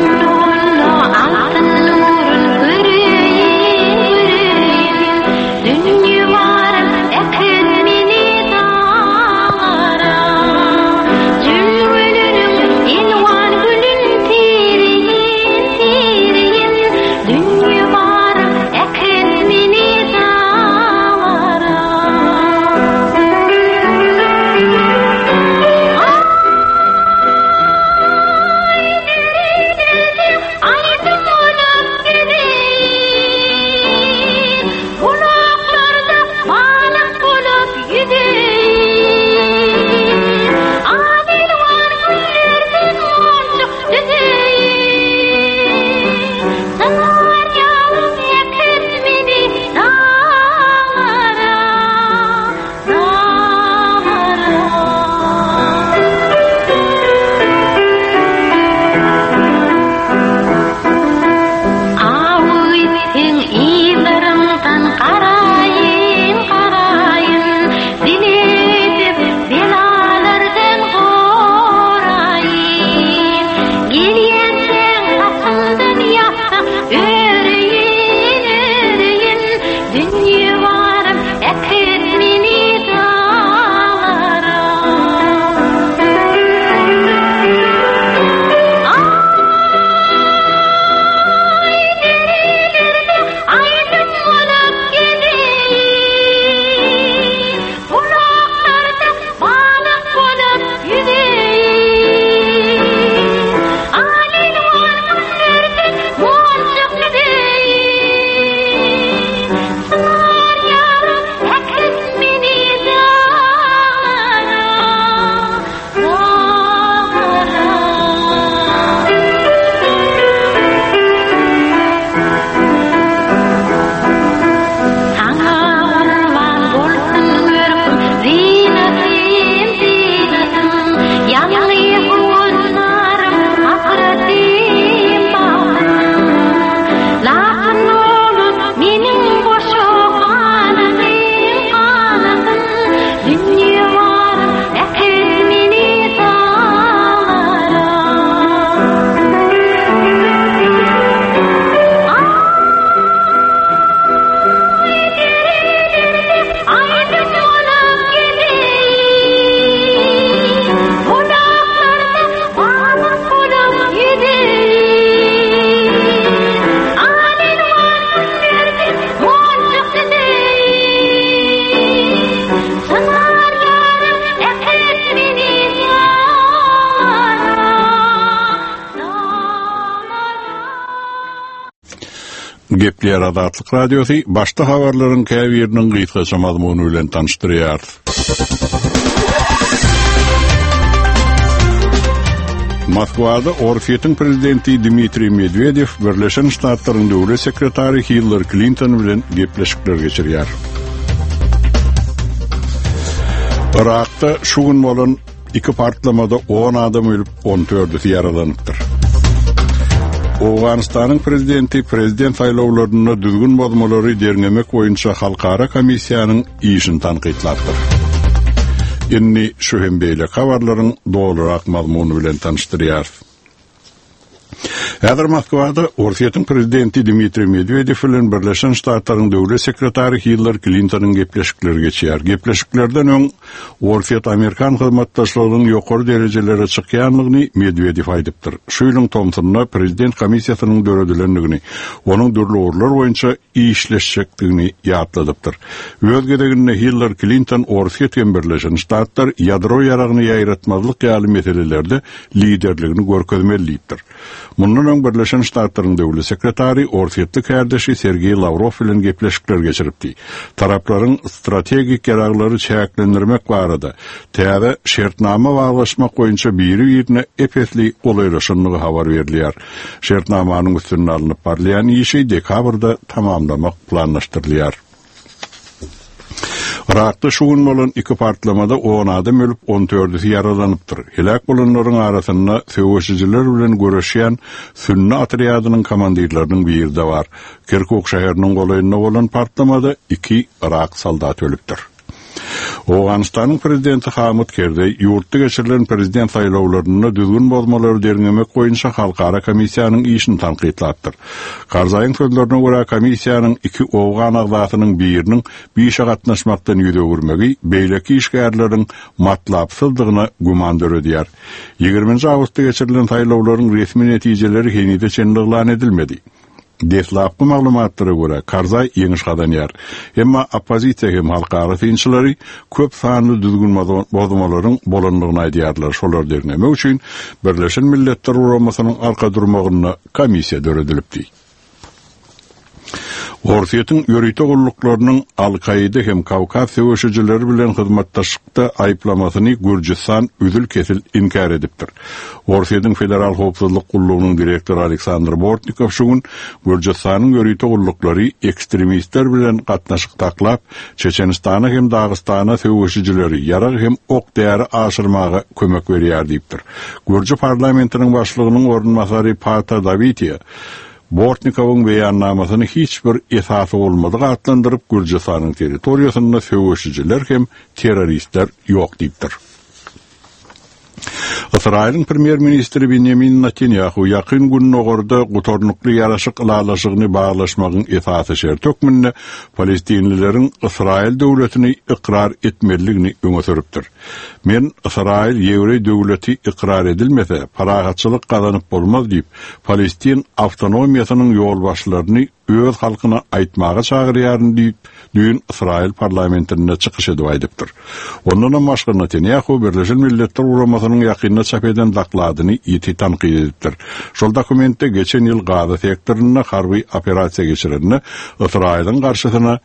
Gepleýär Azatlyk Radiosy başda habarlaryň käbiriniň gysgaça mazmuny bilen tanyşdyrýar. Moskwada Orsýetiň prezidenti Dmitriý Medwedew Birleşen Ştatlaryň döwlet sekretary Hillary Klinton bilen gepleşikler geçirýär. Irakda şu gün bolan iki partlamada on adam ölüp, on dördüsi ýaralanypdyr. Owganystanyň prezidenti prezident saýlawlarynda düzgün bozmalary derňemek boýunça halkara komissiýanyň işini tankytlapdyr. Indi şu hem beýle habarlaryň dolurak mazmuny bilen tanyşdyrýar. Häzir Moskwada Orsýetiň prezidenti Dmitriý Medwedew bilen Birleşen Ştatlaryň döwlet sekretary Hillary Klintonyň gepleşikleri geçýär. Gepleşiklerden öň Orsýet-Amerikan hyzmatdaşlygynyň ýokary derejelere çykýanlygyny Medwedew aýdypdyr. Şu ýylyň tomsunda prezident komissiýasynyň döredilendigini, onuň dürli ugurlar boýunça işleşjekdigini ýatladypdyr. Öz gezeginde Hillary Klinton Orsýet hem Birleşen Ştatlar ýadro ýaragyny ýaýratmazlyk ýaly meselelerde liderligini görkezmeli diýipdir. Mundan öň Birleşen Ştatlaryň döwlet sekretary Orsýetli kärdeşi Sergeý Lawrow bilen gepleşikler geçiripdi. Taraplaryň strategik ýaraglary çäklendirmek barada täze şertnama baglaşmak boýunça biri-birine epesli golaýlaşandygy habar berilýär. Şertnamanyň üstünde alnyp barylýan işi dekabrda tamamlamak planlaşdyrylýar. Irakda şu gün bolan iki partlamada on adam ölüp, on dördüsi ýaralanypdyr. Helak bolanlaryň arasynda söweşijiler bilen göreşýän Sünni otrýadynyň komandirleriniň biri de bar. Kirkuk şäheriniň golaýynda bolan partlamada iki Irak soldaty ölüpdir. Owganystanyň prezidenti Hamid Kerzeý ýurtda geçirilen prezident saýlawlarynda düzgün bozmalary derňemek boýunça halkara komissiýanyň işini tankytlapdyr. Karzaýyň sözlerine görä komissiýanyň iki owgan agzasynyň biriniň bir işe gatnaşmakdan ýüz öwürmegi beýleki işgärleriň matlapsyzdygyna güman döredýär. Ýigriminji awgustda geçirilen saýlawlaryň resmi netijeleri henize çenli yglan edilmedi. Deslapky maglumatlara görä Karzaý ýeňiş gazanýar. Emma oppozisiýa hem halkara synçylary köp sanly düzgün bozmalaryň bolandygyny aýdýarlar. Şolar derňemek üçin Birleşen Milletler Guramasynyň arka durmagynda komissiýa döredilipdi. Orsýetiň ýörite gulluklarynyň Al-Kaida hem Kawkaz söweşijileri bilen hyzmatdaşlykda aýyplamasyny Gürjüstan üzül-kesil inkär edipdir. Orsýetiň Federal Howpsuzlyk gullugynyň direktory Aleksandr Bortnikow şu gün Gürjüstanyň ýörite gulluklary ekstremistler bilen gatnaşyk taklap, Çeçenistana hem Dagystana söweşijileri ýarag hem ok däri aşyrmaga kömek berýär diýipdir. Gürjü parlamentiniň başlygynyň orunbasary Pata Dawitiýa Bortnikowyň beýannamasyny hiç bir esasy bolmadyk atlandyryp, Gürjüstanyň territoriýasynda söweşijiler hem terroristler ýok diýipdir. Ysraýylyň premýer-ministri Benjamin Netanyahu ýakyn gündogarda gutarnykly ýaraşyk ylalaşygyny baglaşmagyň esasy şerti hökmünde Palestinlileriň Ysraýyl döwletini ykrar etmelidigini öňe sürüpdir. Men Ysraýyl ýewreý döwleti ykrar edilmese, parahatçylyk gazanyp bolmaz diýip, Palestin awtonomiýasynyň ýolbaşçylaryny öz halkyna aýtmaga çagyrýaryn diýip, düýn Ysraýyl parlamentinde çykyş edip aýdypdyr. Ondan başga Netanyahu Birleşen Milletler Guramasynyň ýakynda çap eden dokladyny ýiti tankyt edipdir. Şol dokumentde geçen ýyl Gaza sektorynda harby operasiýa geçirende Ysraýylyň garşysyna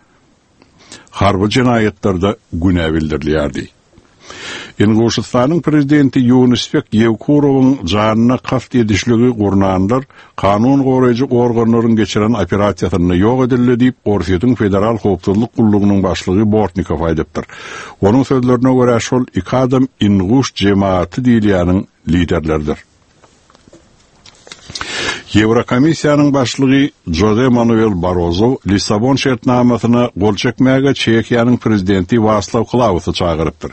harby jenaýatlarda günä bildirilýärdi. Inguşystanyň prezidenti Ýunusbek Ýewkurowyň janyna kast edişligi gurnanlar kanun goraýjy organlaryň geçiren operasiýasynda ýok edildi diýip Orsýetiň Federal Howpsuzlyk gullugynyň başlygy Bortnikow aýdypdyr. Onuň sözlerine görä şol iki adam Inguş jemaaty diýilýäniň liderleridir. Ýewrokomissiýanyň başlygy Jose Manuel Barroso Lissabon şertnamasyna gol çekmäge Çehiýanyň prezidenti Waslaw Klausy çagyrypdyr.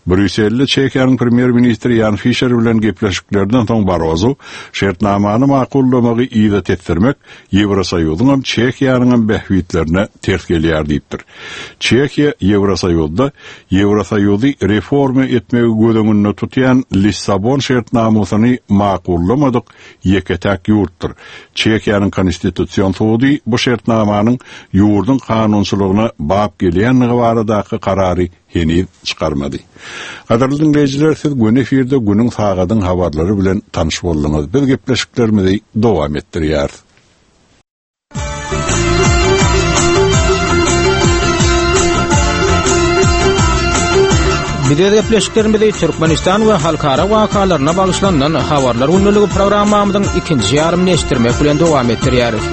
Brýusselde Çehiýanyň premýer-ministri Jan Fischer bilen gepleşiklerden soň Barroso şertnamany makullamagy yza tesdirmek Ýewrosoýuzyň hem Çehiýanyň hem bähbitlerine ters gelýär diýipdir. Çehiýa Ýewrosoýuzda Ýewrosoýuzy reforma etmegi göz öňünde tutýan Lissabon şertnamasyny makullamadyk ýeke-täk ýurtdur. Çehiýanyň konstitusion sudy bu şertnamanyň ýurduň kanunçylygyna bap gelýänligi baradaky karary heniz çykarmady. Gadyrly dinleýjiler, siz gün efirde günüň sagadyň habarlary bilen tanyş bolduňyz. Biz gepleşiklerimizi dowam etdirýäris. Biz öz gepleşiklerimizi Türkmenistan we halkara wakalaryna bagyşlanan habarlar gündeligi programmamyzyň ikinji ýarymyny eşitdirmek bilen dowam etdirýäris.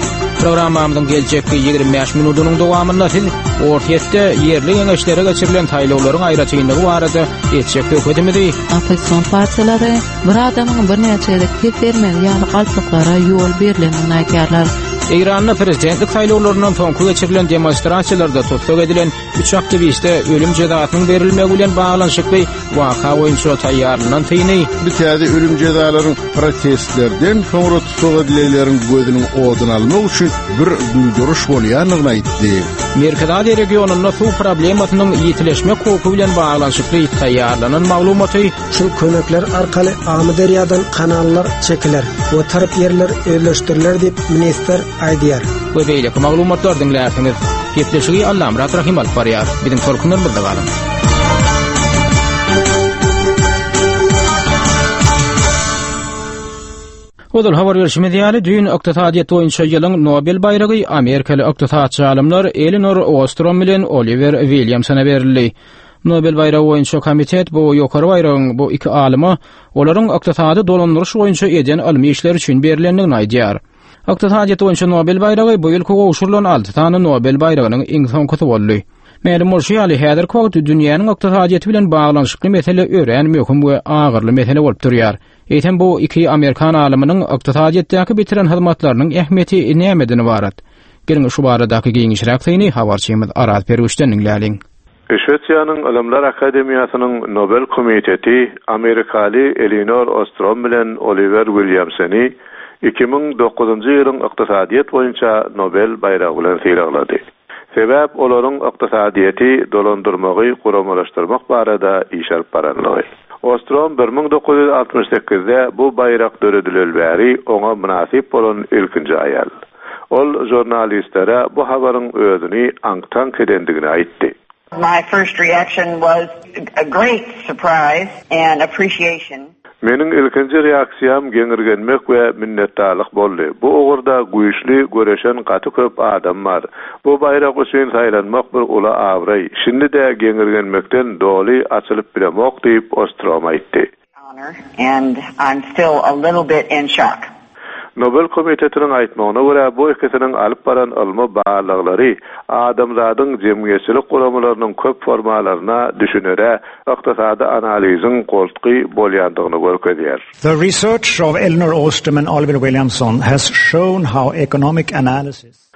Programmamyzyň geljekki ýigrimi bäş minudynyň dowamynda siz Orsýetde ýerli geňeşlere geçirilen saýlawlaryň aýratynlygy barada etjek söhbetimizi Oppozision partiýalary bir adamyň birnäçe gezek ses bermegi ýaly galplyklara ýol berlendigini aýdýarlar. Eýranda prezidentlik saýlawlaryndan soňky geçirilen demonstrasiýalarda tussag edilen üç aktiwiste ölüm jezasynyň berilmegi bilen baglanyşykly waka boýunça taýýarlanan syny Bu täze ölüm jezalaryň protestlerden soňra tussag edilenleriň gözüniň oduny almak üçin bir duýduryş bolýandygyny aýtdy. Merkezi Aziýa regionynda suw problemasynyň ýitileşmek howpy bilen baglanyşykly taýýarlanan maglumaty Şu kömekler arkaly Amyderýadan kanallar çekiler we tarp ýerler özleşdiriler diýip ministr aýdýar. We beýleki maglumatlar diňlärsiňiz. Gepleşigi Allamyrat Rahim alyp barýar. Biziň tolkunlarymyzda galyň. Ozal habar berşimiz ýaly, düýn ykdysadyýet boýunça ýylyň Nobel baýragy amerikaly ykdysatçy alymlar Elinor Ostrom bilen Oliwer Williamsona berildi. Nobel baýragy boýunça komitet bu ýokary baýragyň bu iki alyma olaryň ykdysady dolandyryş boýunça eden ylmy işleri üçin berilendigini aýdýar. Ykdysadyýet boýunça Nobel baýragy bu ýylky gowşurylan alty sany Nobel baýragynyň iň soňkusy boldy. Mälim bolşy ýaly, häzirki wagt dünýäniň ykdysadyýeti bilen baglanyşykly mesele örän möhüm we agyrly mesele bolup durýar. Eýsem bu iki Amerikan alymynyň ykdysadyýetdäki bitiren hyzmatlarynyň ähmiýeti nämeden ybarat? Geliň şu baradaky giňişräk syny habarçymyz Araz Perwişden diňläliň. Şwesiýanyň Ylymlar Akademiýasynyň Nobel komiteti Amerikaly Elinor Ostrom bilen Oliwer Williamsony iki müň dokuzynjy ýylyň ykdysadyýet boýunça Nobel baýragy bilen sylaglady. Sebäp olaryň ykdysadyýeti dolandyrmagy guramalaşdyrmak barada iş alyp baranlygy. Ostrom bir müň dokuz ýüz altmyş sekizde bu baýrak döredileli bäri oňa mynasyp bolan ilkinji aýal. Ol žurnalistlere bu habaryň özüni aňk-taňk edendigini aýtdy. My first reaction was a great surprise and appreciation. Meniň ilkinji reaksiýam geňirgenmek we minnetdarlyk boldy. Bu ugurda güýçli göreşen gaty köp adam bar. Bu baýrak üçin saýlanmak bir uly abraý. Şindi-de geňirgenmekden doly açylyp bilemok diýip Ostrom aýtdy. And I'm still a little bit in shock. Nobel komitetiniň aýtmagyna görä bu ikisiniň alyp baran ylmy barlaglary adamzadyň jemgyýetçilik guramalarynyň köp formalaryna düşünere ykdysady analiziň goltgy bolýandygyny görkezýär. The research of Elinor Ostrom and Oliver Williamson has shown how economic analysis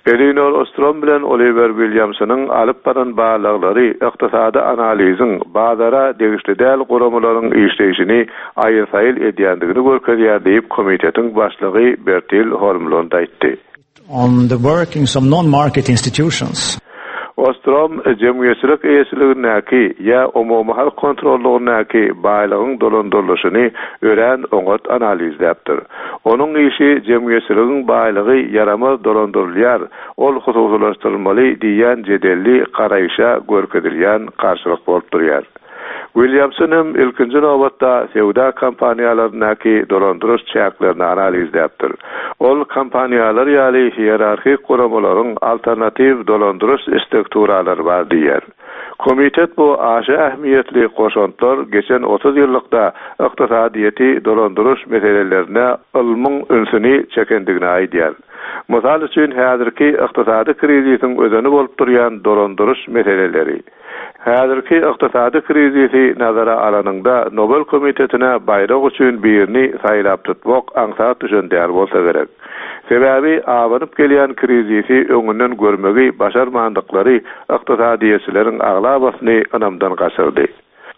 Elinor Ostrom bilen Oliver Williamsonyň alyp baran barlaglary ykdysady analiziň bazara degişli däl guramalaryň işleýşini aýyl-saýyl edýändigini görkezýär diýip komitetiň başlygy Bertil Holmlund aýtdy. on the workings of non-market institutions. Ostrom jemgyýetçilik eýeçiligindäki ýa umumy halk kontrollugyndaky baýlygyň dolandyrylyşyny örän oňat analizläpdir. Onuň işi jemgyýetçiligiň baýlygy ýaramaz dolandyrylýar, ol hususylaşdyrylmaly diýen jedelli garaýşa görkezilýän garşylyk bolup durýar. Williamson hem ilkinji nobatda söwda kompaniýalaryndaky dolandyryş çäklerini analizläpdir. Ol kompaniýalar ýaly hierarhik guramalaryň alternatiw dolandyryş strukturalary bar diýer. Komitet bu aşa ähmiýetli goşantlar geçen otuz ýyllykda ykdysadyýeti dolandyryş meselelerine ylmyň ünsüni çekendigini aýdýar. Mysal üçin häzirki ykdysady krizisiň özeni bolup durýan dolandyryş meseleleri. Häzirki ykdysady krizisi nazara alanyňda Nobel komitetine baýrak üçin birini saýlap tutmak aňsat düşen däl bolsa gerek. Sebäbi abanyp gelýän krizisi öňünden görmegi başarmandyklary ykdysadyýetçileriň aglabasyny ynamdan gaçyrdy.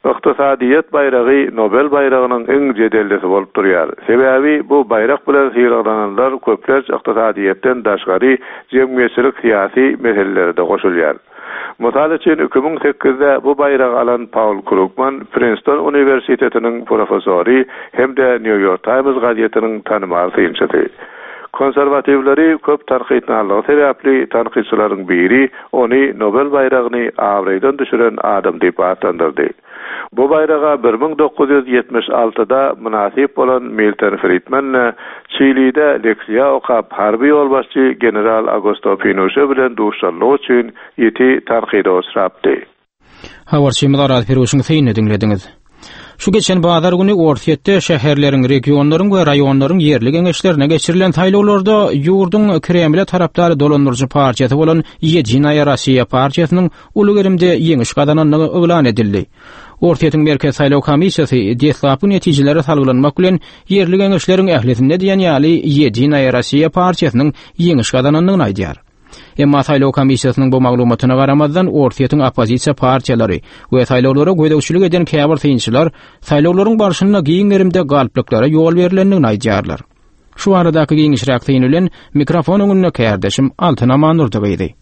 Ykdysadyýet baýragy Nobel baýragynyň iň jedellisi bolup durýar. Sebäbi bu baýrak bilen sylaglananlar köplenç ykdysadyýetden daşgary jemgyýetçilik syýasy meselelere-de goşulýar. Mysal üçin iki müň sekizde bu baýragy alan Paul Krugman Princeton Universitetiniň professory hem-de New York Times gazetiniň tanymal synçysy. Konserwatiwleri köp tankytnallygy sebäpli tankytçylaryň biri ony Nobel baýragyny abraýdan düşüren adam diýip atlandyrdy. Bu baýraga bir müň dokuz ýüz ýetmiş altyda mynasyp bolan Milton Friedman Çilide leksiýa okap harby ýolbaşçy general Augusto Pinochet bilen duşanlygy üçin ýiti tankyda uçrapdy. Habarçymyz Araz Piruşyň synyny diňlediňiz. Şu geçen bazar güni Orsýetde şäherleriň, regionlaryň we raýonlaryň ýerli geňeşlerine geçirilen saýlawlarda ýurduň Kremle tarapdary dolandyryjy partiýasy bolan Ýedinaýa Rossiýa partiýasynyň uly gerimde ýeňiş gazanandygy yglan edildi. Orsýetiň Merkez saýlaw komissiýasy deslapky netijelere salgylanmak bilen ýerli geňeşleriň ählisinde diýen ýaly Ýedinaýa Rossiýa partiýasynyň ýeňiş gazanandygyny aýdýar. Emma saýlaw komissiýasynyň bu maglumatyna garamazdan Orsýetiň oppozisiýa partiýalary we saýlawlara gözegçilik eden käbir synçylar saýlawlaryň barşynda giň gerimde galplyklara ýol berilendigini aýdýarlar. Şu baradaky giňişräk syn bilen mikrofon öňünde kärdeşim Altyn Amandurdy gyzy.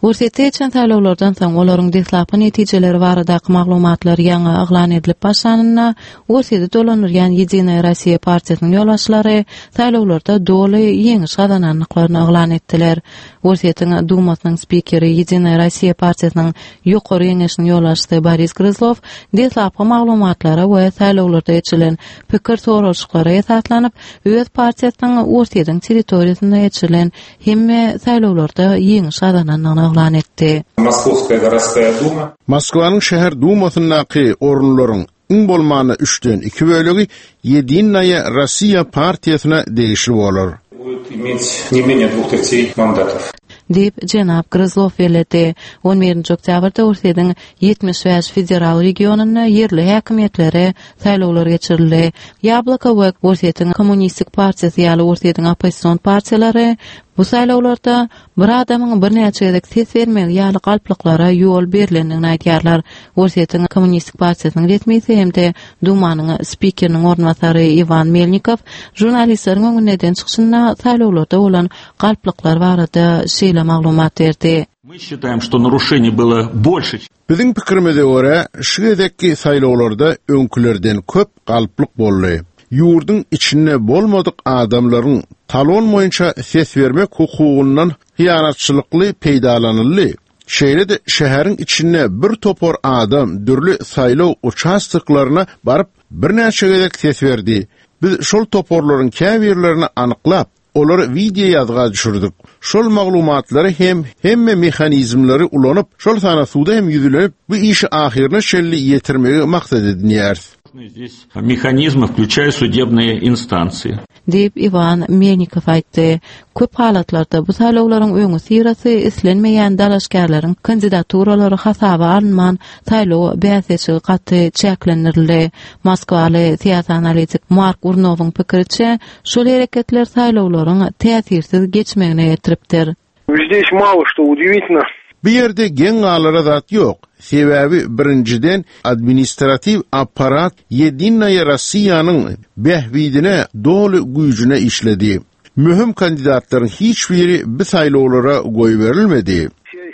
Orsýetde geçen saýlawlardan soň olaryň deslapky netijeleri baradaky maglumatlar ýaňy yglan edilip başlanynda Orsýeti dolandyrýan Ýedinaýa Rossiýa partiýasynyň ýolbaşçylary saýlawlarda doly ýeňiş gazanandyklaryny yglan etdiler. Orsýetiň Dumasynyň spikeri Ýedinaýa Rossiýa partiýasynyň ýokary geňeşiniň ýolbaşçysy Boris Gryzlow deslapky maglumatlara we saýlawlarda geçirilen pikir soralyşyklara esaslanyp öz partiýasynyň Orsýetiň territoriýasynda geçirilen hemme saýlawlarda ýeňiş gazanandygyny yglan etdi. Moskovskaya городская дума. Moskwanyň şäher dumasyndaky orunlaryň iň bolmany üçden iki bölegi Ýedinaýa Rossiýa partiýasyna degişli bolar. Будет иметь не менее двух третей мандатов. Diýip jenap Gryzlow belledi. On birinji oktýabrda Orsýetiň ýetmiş bäş federal regionynda ýerli häkimiýetlere saýlawlar geçirildi. Ýabloko we Orsýetiň Kommunistik partiýasy ýaly Orsýetiň oppozision partiýalary bu saýlawlarda bir adamyň birnäçe gezek ses bermegi ýaly galplyklara ýol berilendigini aýdýarlar. Orsýetiň Kommunistik partiýasynyň resmisi hem-de Dumanyň spikeriniň orunbasary Iwan Melnikow žurnalistleriň öňünde eden çykyşynda saýlawlarda bolan galplyklar barada şeýle maglumat berdi. Мы считаем, что нарушений было больше. Biziň pikirimize görä, şu gezekki saýlawlarda öňkülerden köp galplyk boldy. Ýurduň içinde bolmadyk adamlaryň talon boýunça ses bermek hukugyndan hyýanatçylykly peýdalanyldy. Şeýle-de şäheriň içinde bir topar adam dürli saýlaw uçastoklaryna baryp birnäçe gezek ses berdi. Biz şol toparlaryň käbirlerini anyklap, olary video ýazga düşürdik. Şol maglumatlary hem hemme mehanizmleri ulanyp, şol sana suda hem ýüzlenip, bu işi ahyryna çenli ýetirmegi maksat edinýäris. Здесь механизмы, включая судебные инстанции. Diýip Iwan Melnikow aýtdy. Köp halatlarda bu saýlawlaryň öňi syrasy islenmeýän dalaşgärleriň kandidaturalary hasaba alynman saýlaw bäsleşigi gaty çäklendirildi. Moskwaly syýasy analitik Mark Urnowyň pikiriçe, şol hereketler saýlawlaryň täsirsiz geçmegine getiripdir. Здесь мало что удивительно. Bu ýerde geň galara zat ýok. Sebäbi birinjiden administrativ apparat Ýedinaýa Rossiýanyň bähbidine doly güýjüne işledi. Möhüm kandidatlaryň hiç biri bu saýlawlara goýberilmedi.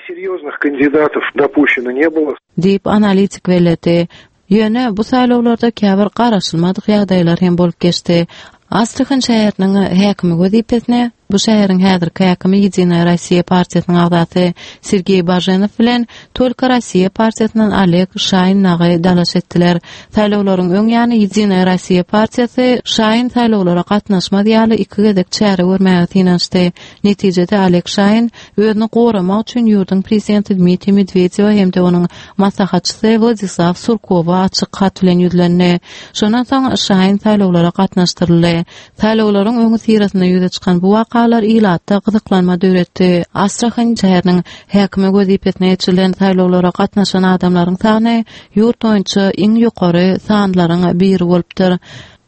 Серьезных кандидатов допущено не было. Diýip analitik belledi. Ýöne bu saýlawlarda käbir garaşylmadyk ýagdaýlar hem bolup geçdi. Astrahan şäheriniň häkimi wezipesine bu şäheriň häzirki häkimi Ýedinaýa Rossiýa partiýasynyň agzasy Sergeý Baženow bilen Tolka Rossiýa partiýasyndan Oleg Şaýin dagy dalaş etdiler. Saýlawlaryň öň ýany Ýedinaýa Rossiýa partiýasy Şaýin saýlawlara gatnaşmaz ýaly iki gezek çäre görmäge synanyşdy. Netijede Oleg Şaýin özüni goramak üçin ýurduň prezidenti Dmitriý Medwedew hem-de onuň maslahatçysy Wladislaw Surkowa açyk hat bilen ýüzlendi. Şondan soň Şaýin saýlawlara gatnaşdyryldy. Saýlawlaryň öňi syrasynda ýüze çykan bu wakalar ilatda gyzyklanma döretdi. Astrahan şäheriniň häkimi wezipesine geçirilen saýlawlara gatnaşan adamlaryň sany ýurt boýunça iň ýokary sanlaryň biri bolupdyr.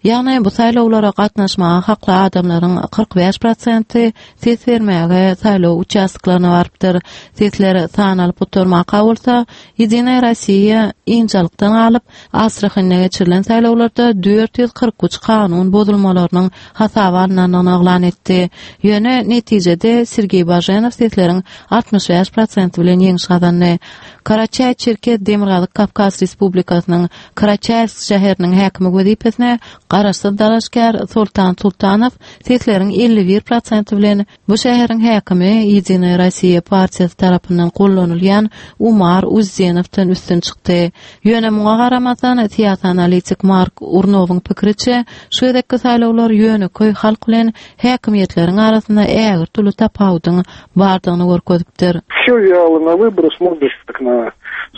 Ýagny bu saýlawlara gatnaşmaga hakly adamlaryň kyrk bäş prosenti ses bermäge saýlaw uçastoklaryna barypdyr. Sesleri sanalyp oturmaka bolsa, Ýedinaýa Rossiýa injalykdan galyp, Astrahanda geçirilen saýlawlarda dört ýüz kyrk üç kanun bozulmalarynyň hasaba alynandygyny yglan etdi. Ýöne netijede Sergeý Baženow sesleriň altmyş bäş prosenti bilen ýeňiş gazandy. Karaçaý-Çerkez Demirgazyk Kawkaz Respublikasynyň Karaçaýsk şäheriniň häkimi wezipesine garaşsyz dalaşgär Sultan Sultanow sesleriň elli bir prosenti bilen bu şäheriň häkimi Ýedinaýa Rossiýa partiýasy tarapyndan gollanylýan Umar Uzzenowdan üstün çykdy. Ýöne muňa garamazdan syýasy analitik Mark Urnowyň pikiriçe, şu gezekki saýlawlar ýöneköý halk bilen häkimiýetleriň arasynda ägirt uly tapawudyň bardygyny görkezipdir. Всё вяло на выборы, смотришь как на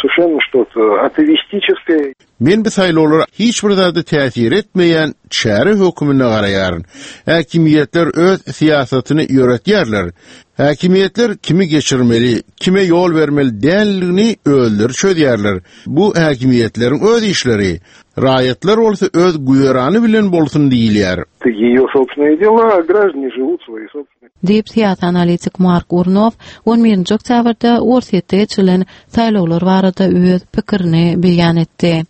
Совершенно что-то атеистическое. Men bu saýlawlara hiç bir zada täsir etmeýän çäre hökmünde garaýaryn. Häkimiýetler öz syýasatyny ýöretýärler. Häkimiýetler kimi geçirmeli, kime ýol bermeli däldigini özleri çözýärler. Bu häkimiýetleriň öz işleri. Raýatlar bolsa öz güzerany bilen bolsun diýilýär. Это ее собственные дела, а граждане живут свои собственные. Diýip syýasy analitik Mark Urnow on birinji oktýabrda Orsýetde geçirilen saýlawlar barada öz pikirini beýan etdi.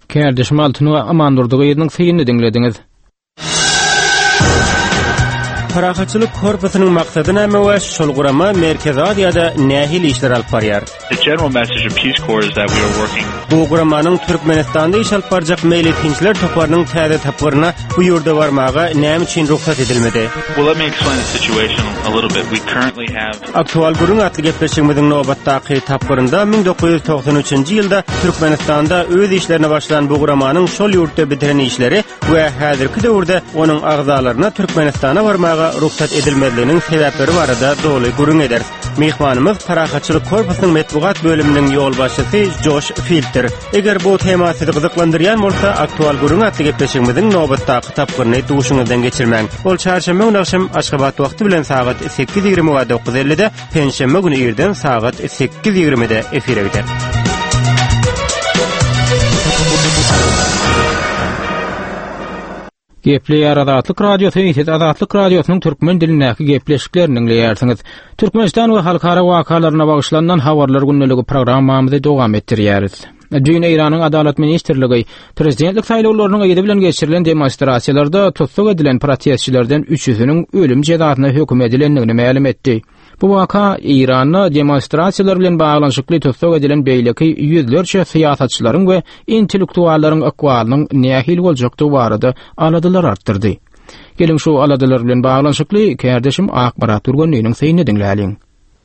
Kärdeşim Altyn we Amandurdy gyzynyň synyny diňlediňiz. Parahatçylyk korpusynyň maksady näme we şol gurama Merkezi Aziýada nähili işler alyp barýar? The general message of Peace Corps is that we are working Bu guramanyň Türkmenistanda iş alyp barjak meýletinçiler toparynyň täze tapgyryna bu ýurda barmaga näme üçin rugsat edilmedi? Well, let me explain the situation a little bit. We currently have Aktual gürrüň atly gepleşigimiziň nobatdaky tapgyrynda müň dokuz ýüz togsan üçünji ýylda Türkmenistanda öz işlerine başlan bu guramanyň şol ýurtda bitiren işleri we häzirki döwürde onuň agzalaryna Türkmenistana barmaga rugsat edilmezliginiň sebäpleri barada doly gürrüň ederis. Mehmanymyz Parahatçylyk korpusynyň metbugat bölüminiň ýolbaşçysy Joş Filter. Eger bu tema sizi gyzyklandyrýan bolsa, Aktual gürrüň atly gepleşigimiziň nobatdaky tapgyryny duşuňyzdan geçirmäň. Ol çarşenbe güni akşam Aşgabat wagty bilen sagat sekiz ýigrimi we dokuz ellide, penşenbe güni irden sagat sekiz ýigrimide efire gider. Gepleýär Azatlyk Radiosy, siz Azatlyk Radiosynyň türkmen dilindäki gepleşiklerini diňleýärsiňiz. Türkmenistan we halkara wakalaryna bagyşlanan habarlar gündeligi programmamyzy dowam etdirýäris. Düýn Eýranyň Adalat Ministrligi prezidentlik saýlawlarynyň yzy bilen geçirilen demonstrasiýalarda tussag edilen protestçilerden üçüsiniň ölüm jezasyna höküm edilendigini mälim etdi. Bu waka Eýranda demonstrasiýalar bilen baglanyşykly tussag edilen beýleki ýüzlerçe syýasatçylaryň we intellektuallaryň ykbalynyň nähili boljakdygy barada aladalar artdyrdy. Geliň şu aladalar bilen baglanyşykly kärdeşim Akmyrat Turgunlynyň synyny diňläliň.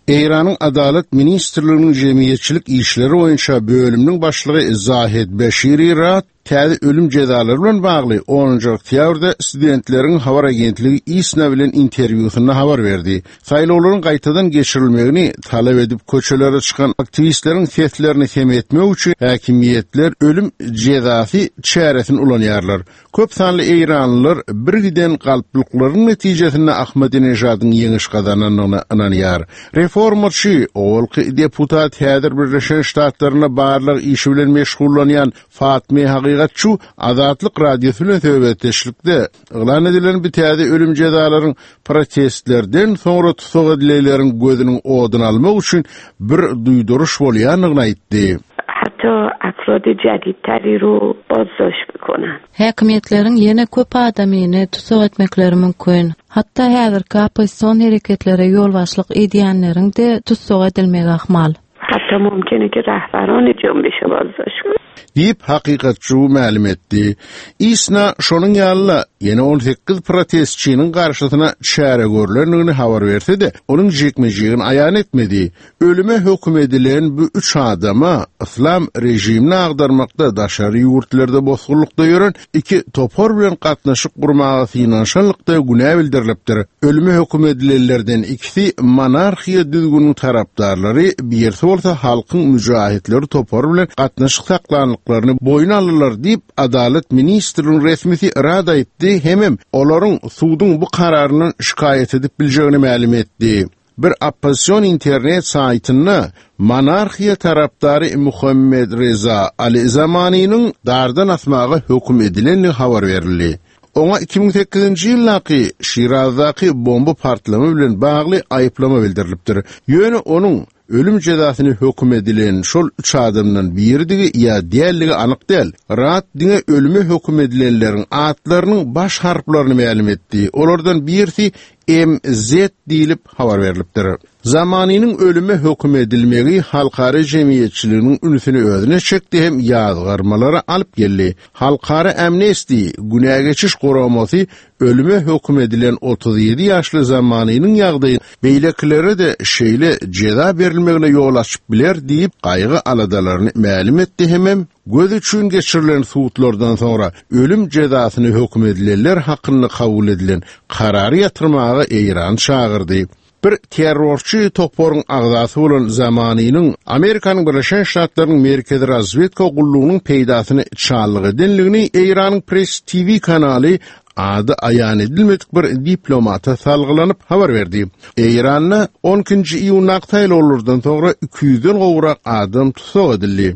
Eýranyň Adalat Ministrliginiň jemgyýetçilik işleri boýunça bölüminiň başlygy Zahid Beşiri Rat täze ölüm jezalary bilen bagly onunjy oktýabrda studentleriň habar agentligi ISNA bilen interwýusynda habar berdi. Saýlawlaryň gaýtadan geçirilmegini talap edip köçelere çykan aktiwistleriň seslerini sem etmek üçin häkimiýetler ölüm jezasy çäresini ulanýarlar. Köp sanly Eýranlylar bir giden galplyklaryň netijesinde Ahmedinejadyň ýeňiş gazanandygyna ynanýar. Reformaçy owalky deputat häzir Birleşen Ştatlaryna barlyk işi bilen meşgullanýan Fatme Hakygatçy Azatlyk Radiosy bilen söhbetdeşlikde yglan edilen bir täze ölüm jezalaryň protestlerden soňra tussag edilenleriň gözüniň oduny almak üçin bir duýduryş bolýandygyny aýtdy. Hatda afrod jadidtari ro bozdoşt bekonan. Häkimiýetleriň ýene köp adamyny tussag etmekleri mümkin. Hatda häzirki oppozision hereketlere ýolbaşçylyk edýänleriň de tussag edilmegi ahmal. Hatda mümkin ki rahbaron junbişi bozdoşt کنن. Diýip hakykatçy mälim etdi. ISNA şonuň ýaly ýene on sekiz protestçiniň garşysyna çäre görlendigini habar berse de, onuň jekmejigini aýan etmedi. Ölüme höküm edilen bu üç adama islam rejimini agdarmakda daşary ýurtlarda bozgurlykda ýören iki topar bilen gatnaşyk gurmaga synanyşanlykda günä bildirilipdir. Ölüme höküm edilenlerden ikisi monarhiýa düzgüniniň tarapdarlary, birisi bolsa halkyň mücahitleri topary bilen gatnaşyk saklanlyklaryny boýun aldylar diýip Adalat Ministriniň resmisi rad aýtdy, hemem olaryň suduň bu kararyndan şikaýat edip biljegini mälim etdi. Bir oppozision internet saýtynda monarhiýa tarapdary Muhammed Reza Ali Zamaniniň dardan asmaga höküm edilendigi habar berildi. Oňa iki müň sekizinji ýyldaky Şirazdaky bomba partlama bilen bagly aýyplama bildirilipdir. Ýöne onuň ölüm jezasyny höküm edilen şol üç adamdan biridigi ýa diýerligi anyk däl. Rat diňe ölüme höküm edilenleriň atlarynyň baş harplaryny mälim etdi. Olardan birisi M Z diýilip habar berilipdir. Zamaniniň ölüme höküm edilmegi halkara jemgyýetçiliginiň ünsüni özüne çekdi hem ýazgarmalara alyp geldi. Halkara Amnesty günä geçiş guramasy ölüme höküm edilen otuz ýedi ýaşly Zamaniniň ýagdaýy beýlekilere de şeýle jeza berilmegine ýol açyp biler diýip gaýgy aladalaryny mälim etdi hemem göz üçin geçirilen sudlardan soňra ölüm jezasyny höküm edilenler hakynda kabul edilen karary ýatyrmaga Eýran çagyrdy. Bir terrorçy toparyň agzasy bolan Zamanynyň Amerikanyň Birleşen Ştatlarynyň Merkezi Razwedka gullugynyň peýdasyny çallyk edenligini Eýranyň Press T V kanaly ady aýan edilmedik bir diplomata salgylanyp habar berdi. Eýranda on ikinji iýundaky saýlawlardan soňra iki ýüzden gowrak adam tussag edildi.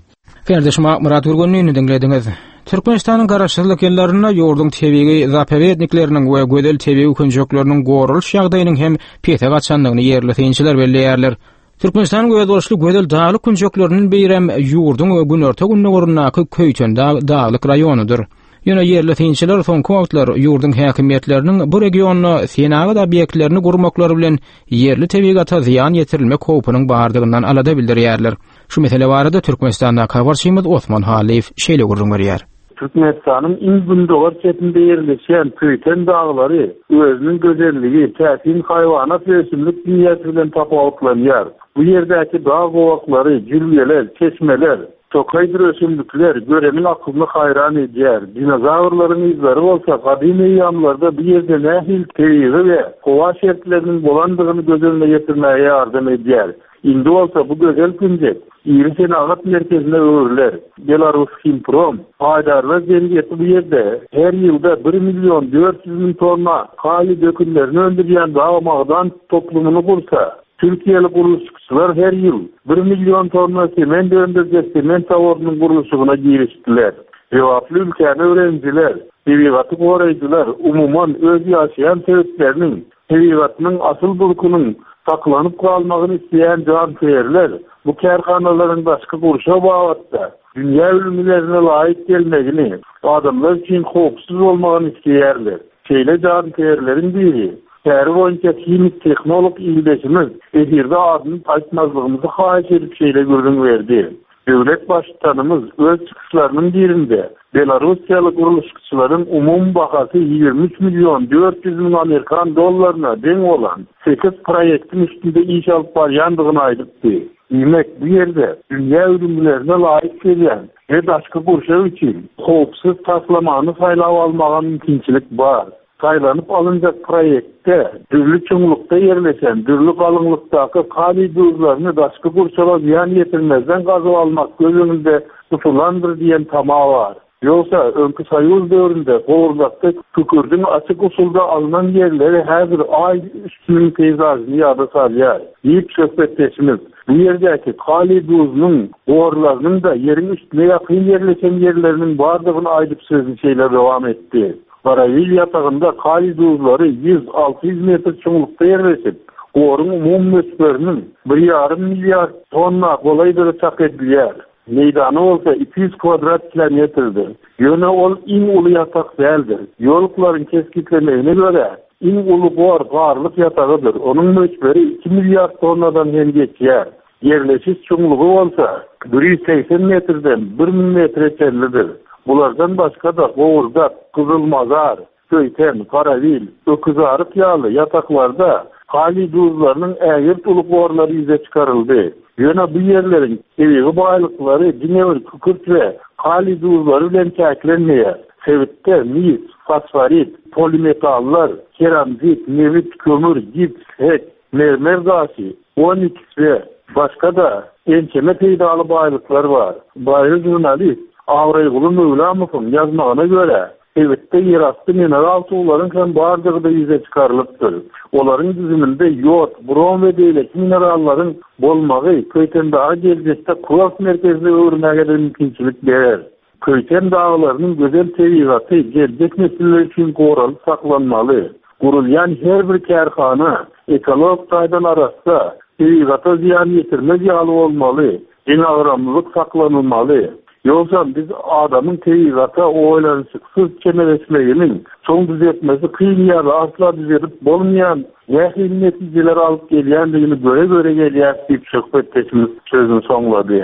Kardeşim Murat Gürgenini diňlediňiz. Türkmenistanyň garaşsyzlyk ýyllarynda ýurduň tebigy zapovednikleriniň we gözel tebigy künjekleriniň goralyş ýagdaýynyň hem pese gaçandygyny ýerli synçylar belleýärler. Türkmenistanyň özboluşly gözel daglyk künjekleriniň birem ýurduň günorta-gündogaryndaky Köýtendag daglyk raýonydyr. Ýöne ýerli synçylar soňky wagtlar ýurduň häkimiýetleriniň bu regionda senagat obýektlerini gurmaklary bilen ýerli tebigata zyýan ýetirilmek howpunyň bardygyndan alada bildirýärler. Şu mesele barada Türkmenistandaky habarçymyz Osman Halyýew şeýle gürrüň berýär. Türkmenistanyň iň gündogar çetinde ýerleşen Köýten daglary özüniň gözelligi, täsin haýwanat we ösümlik dünýäsi bilen tapawutlanýar. Bu ýerdäki dag gowaklary, jülgeler, çeşmeler, tokaýdyr ösümlikler göreniň aklyny haýran edýär. Dinozawrlaryň yzlary bolsa gadym eýýamlarda bu ýerde nähili tebigy we howa şertleriniň bolandygyny göz öňüne getirmäge ýardam edýär. Indi bolsa bu gözel künjek iri senagat merkezine öwrüler. Belarus Himprom paýdarlar jemgyýeti bu ýerde her ýylda bir million dört ýüz müň tonna kaliý dökünlerini öndürýän dag magdan toplumyny gursa, Türkiýeli gurluşykçylar her ýyl bir million tonna sement öndürjek sement zawodynyň gurluşygyna girişdiler. Jogaply ülkäni öwrenijiler, tebigaty goraýjylar umuman öz ýaşaýan sebäpleriniň, tebigatynyň asyl durkunyň saklanyp galmagyny isleýän janköýerler bu kärhanalaryň daşky gurşaw babatda dünýä ülňülerine laýyk gelmegini, adamlar üçin howpsuz bolmagyny isleýärler. Şeýle janköýerleriň biri täri boýunça himik tehnolog ildeşimiz efirde adyny aýtmazlygymyzy haýyş edip şeýle gürrüň berdi. Döwlet baştutanymyz öz çykyşlarynyň birinde Belarussiýaly gurluşykçylaryň umumy bahasy ýigrimi üç million dört ýüz müň Amerikan dollaryna deň bolan sekiz proýektiň üstünde iş alyp barýandygyny aýdypdy. Diýmek, bu ýerde dünýä ülňülerine laýyk gelýän we daşky gurşaw üçin howpsuz taslamany saýlap almaga mümkinçilik bar. Saýlanyp alynjak proýektde dürli çuňlukda ýerleşen, dürli galyňlykdaky kaliý duzlaryny daşky gurşawa zyýan ýetirmezden gazyp almak göz öňünde tutulandyr diýen tama bar. Ýogsa öňki Soýuz döwründe Gowurdakda kükürdiň açyk usulda alynan ýerleri häzir aý üstüniň peýzažyny ýada salýar. Diýip söhbetdeşimiz bu ýerdäki kaliý duzunyň gorlarynyň da ýeriň üstüne ýakyn ýerleşen ýerleriniň bardygyny aýdyp sözüni şeýle dowam etdi. Garawil ýatagynda kaliý duzlary ýüz alty ýüz metr çuňlukda ýerleşip, goruň umumy möçberiniň bir ýarym milliard tonna golaýdygy çak edilýär. Meýdany bolsa iki ýüz kvadrat kilometrdir. Ýöne ol iň uly ýatak däldir. Geologlaryň kesgitlemegine görä, iň uly gor garlyk ýatagydyr. Onuň möçberi iki milliard tonnadan hem geçýär. Ýerleşiş çuňlugy bolsa bir ýüz segsen metrden bir müň metre çenlidir. Bulardan başga da Gowurdak, Gyzylmazar, Köýten, Garawil, Öküzaryk ýaly ýataklarda kaliý duzlarynyň ägirt uly gorlary ýüze çykaryldy. Ýöne bu ýerleriň tebigy baýlyklary diňe bir kükürt we kaliý duzlary bilen çäklenmeýär. Sebitde mis, fosforit, polimetallar, keramzit, nebit, kömür, gips, hek, mermer daşy, oniks we başga da ençeme peýdaly baýlyklar bar. Baýry jurnalist Awraýguly Möwlamowyň ýazmagyna görä, sebitde ýerasty mineral suwlaryň hem bardygy da ýüze çykarylypdyr. Olaryň düzüminde ýod, brom we beýleki minerallaryň bolmagy Köýtendaga geljekde kurort merkezine öwürmäge de mümkinçilik berer. Köýten daglarynyň gözel tebigaty geljek nesiller üçin goralyp saklanmaly. Gurulýan her bir kärhana ekologik taýdan arassa, tebigata zyýan ýetirmez ýaly bolmaly, deňagramlylyk saklanylmaly. Ýogsa biz adamyň tebigata oýlanyşyksyz çemeleşmeginiň soň düzetmesi kyn ýa-da asla düzedip bolmaýan nähili netijeler alyp gelýändigini göre-göre gelýär diýip söhbetdeşimiz sözüni soňlady.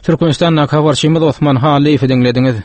Türkmenistandaky habarçymyz Osman Halyýewi diňlediňiz.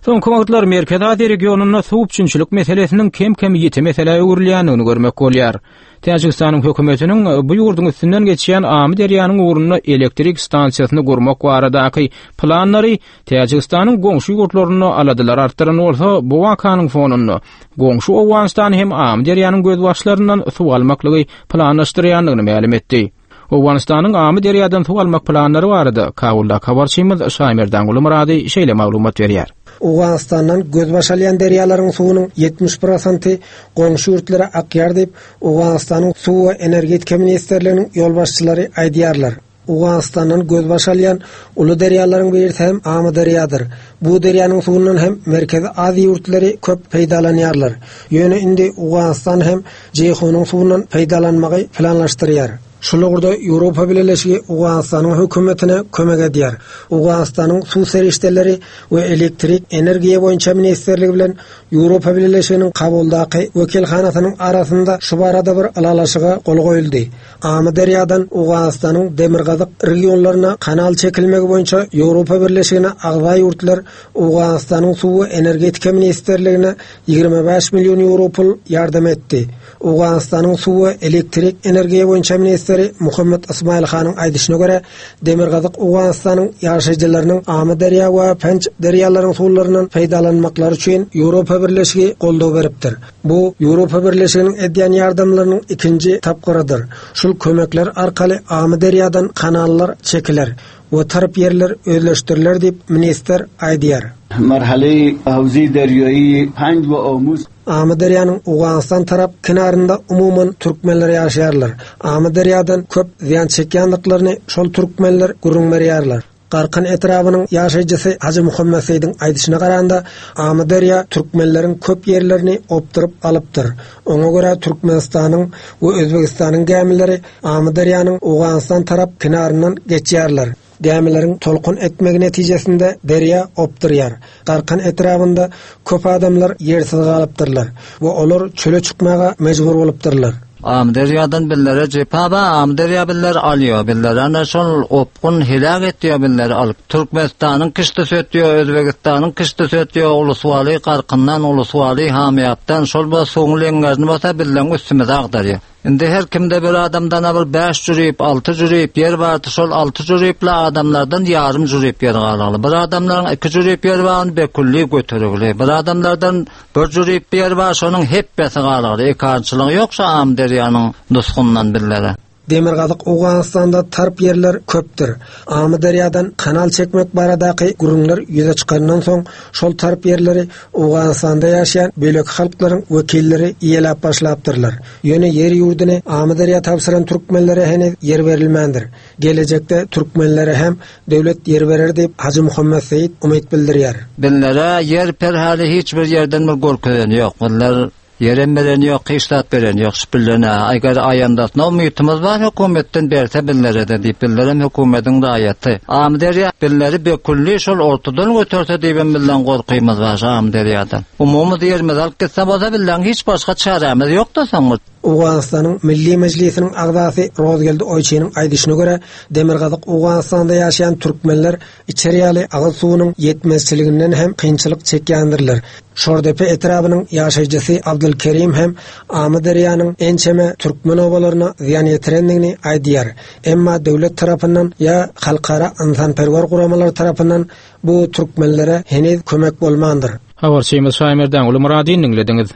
Soňky wagtlar Merkezi Aziýa regionynda suw üpjünçilik meselesiniň kem-kem ýiti meselä öwrülýändigini görmek bolýar. Täjigistanyň hökümetiniň bu ýurduň üstünden geçýän Amyderýanyň ugrunda elektrik stansiýasyny gurmak baradaky planlary Täjigistanyň goňşy ýurtlarynda aladalar artdyran bolsa, bu wakanyň fonunda goňşy Owganystan hem Amyderýanyň gözbaşlaryndan suw almaklygy planlaşdyrýandygyny mälim etdi. Owganystanyň Amyderýadan suw almak planlary barada Kabulda habarçymyz Şaýmerdan Murady şeýle maglumat berýär. Owganystandan gözbaş alýan derýalaryň suwunyň ýetmiş prosenti goňşy ýurtlara akýar diýip, Owganystanyň Suw we energetika ministrliginiň ýolbaşçylary aýdýarlar. Owganystandan gözbaş alýan uly derýalaryň birisi hem Amyderýadyr. Bu derýanyň suwundan hem Merkezi Aziýa ýurtlary köp peýdalanýarlar. Ýöne indi Owganystan hem Jeýhunyň suwundan peýdalanmagy planlaşdyrýar. Şul ugurda Ýewropa Bileleşigi Owganystanyň hökümetine kömek edýär. Owganystanyň suw serişdeleri we elektrik energiýa boýunça ministrligi bilen Ýewropa Bileleşiginiň Kabuldaky wekilhanasynyň arasynda şu barada bir ylalaşyga gol goýuldy. Amyderýadan Owganystanyň demirgazyk regionlaryna kanal çekilmegi boýunça Ýewropa Birleşigine agza ýurtlar Owganystanyň suw we energetika ministrligine ýigrimi bäş million ýewro pul ýardam etdi. Owganystanyň suw we elektrik energiýa boýunça ministri Muhammed Ismail Hanyň aýdyşyna görä, demirgazyk Owganystanyň ýaşaýjylarynyň Amyderýa we Penç derýalaryň suwlaryndan peýdalanmaklary üçin Ýewropa Birleşigi goldaw beripdir. Bu Ýewropa Birleşiginiň edýän ýardamlarynyň ikinji tapgyrydyr. Şul kömekler arkaly Amyderýadan kanallar çekiler we tarp ýerler özleşdiriler diýip ministr aýdýar. Marhale havzi derýaýy Panj we Omuz Amyderýanyň Owganystan tarap kenarynda umuman türkmenler ýaşaýarlar. Amyderýadan köp zyýan çekýänliklerini şol türkmenler gürrüň berýärler. Garkan etrabynyň ýaşaýjysy Hajy Muhammed Seýdiň aýdyşyna garanda, Amyderýa türkmenleriň köp ýerlerini opduryp alypdyr. Oňa görä Türkmenistanyň we Özbegistanyň gämileri Amyderýanyň Owganystan tarap kenaryndan geçýärler. Gämileriň tolkun etmegi netijesinde derýa opdurýar. Garkan etrabynda köp adamlar ýersiz galypdyrlar we olar çöle çykmaga mejbur bolupdyrlar. Amyderýadan billere jepa ba, Amyderýa biller alýar, biller ana şol opgun helak etýär biller alyp. Türkmenistanyň kişti sötýär, Özbegistanyň kişti sötýär, Uluswaly Garkyndan, Uluswaly Hamyýapdan şol bu suwuň leňňerini bolsa billeň üstümize agdarýar. Indi her kimde bir adamdan bir bäş jürip, alty jürip ýer bardy, şol alty jüripli adamlardan ýarym jürip ýer galaly. Bir adamlaryň iki jürip ýer barny bekulli götürügli. Bir adamlardan bir jürip ýer bar, şonuň hepbesi galaly. Ekançylygy ýok şu Amyderýanyň nusgundan billere. Demirgazyk Owganystanda tarp ýerler köpdür. Amyderýadan kanal çekmek baradaky gürrüňler ýüze çykandan soň şol tarp ýerleri Owganystanda ýaşaýan bölek halklaryň wekilleri ýeläp başlapdyrlar. Ýöne ýer ýurduny Amyderýa tabşyran türkmenlere heniz ýer berilmändir. Gelejekde türkmenlere hem döwlet ýer berer diýip Hajy Muhammed Seýit umyt bildirýär. Billere ýer perhali hiç bir ýerden bir gorkudan ýok. Bunlar Yerem beren ýok, hiç zat beren ýok. Şübhelen aýgar aýandasyna umytymyz bar, hökümetden berse billere de diýip, billerem hökümetiň raýaty. Amyderýa billeri bekulli şol ortadan götürse diýip billen gorkymyz bar Amyderýadan. Umumy ýerimiz alyp gitse bolsa billen hiç başga çäremiz ýok da soň. Owganystanyň Milli Mejlisiniň agzasy Rozgeldi Oýçynyň aýdyşyna görä, Demirgazyk Owganystanda ýaşaýan türkmenler içer ýaly agyz suwunyň ýetmezçiliginden hem kynçylyk çekýändirler. Şordepe etrabynyň ýaşaýjysy Abdulkerim hem Amyderýanyň ençeme türkmen obalaryna zyýan ýetirendigini aýdýar. Emma döwlet tarapyndan ýa halkara ynsanperwer guramalar tarapyndan bu türkmenlere heniz kömek bolmandyr. Habarçymyz Şaýmerdan Ulumyradyny diňlediňiz.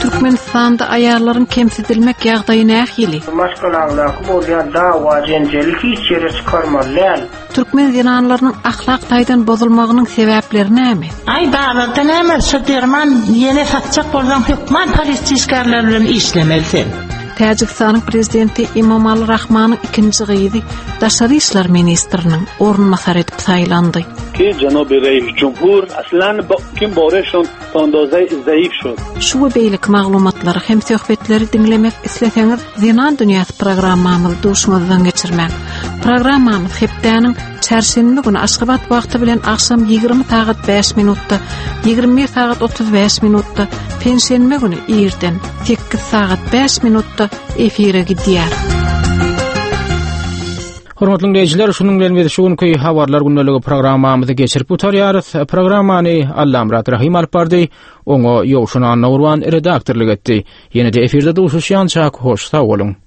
Türkmenistanda aýallaryň kemsidilmek ýagdaýy nähili? Maşgalaňdaky bolýan dawa jenjeli hiç ýere çykarmaly däl. Türkmen zenanlarynyň ahlak taýdan bozulmagynyň sebäpleri näme? Aý bazarda näme şu derman ýene satjak bolsaň hökman polisiýa işgärleri bilen işlemeli sen. Täjigistanyň prezidenti Emomali Rahmanyň ikinji gyzy Daşary işler ministriniň orunbasary edip saýlandy. Ki Janobi Reis Cumhur aslan kim boreshon ta zaif şod. Şu we beýleki maglumatlary hem söhbetleri diňlemek isleseňiz Zenan Dünýäsi programmamyzy duşuňyzdan geçirmäň. Programmamyz hepdäniň çarşenbe güni Aşgabat wagty bilen agşam ýigrimi sagat bäş minutda, ýigrimi bir sagat otuz bäş minutda, penşenbe güni irden sekiz sagat bäş minutda efire gidýär. Hormatly dinleýjiler, şunuň bilen biz şu günki habarlar gündeligi programmamyzy geçirip gutarýarys. Programmany Allamyrat Rahim alyp bardy, oňa Ýowşan Annagurban redaktorlyk etdi. Ýene-de efirde duşuşýança hoş sag boluň.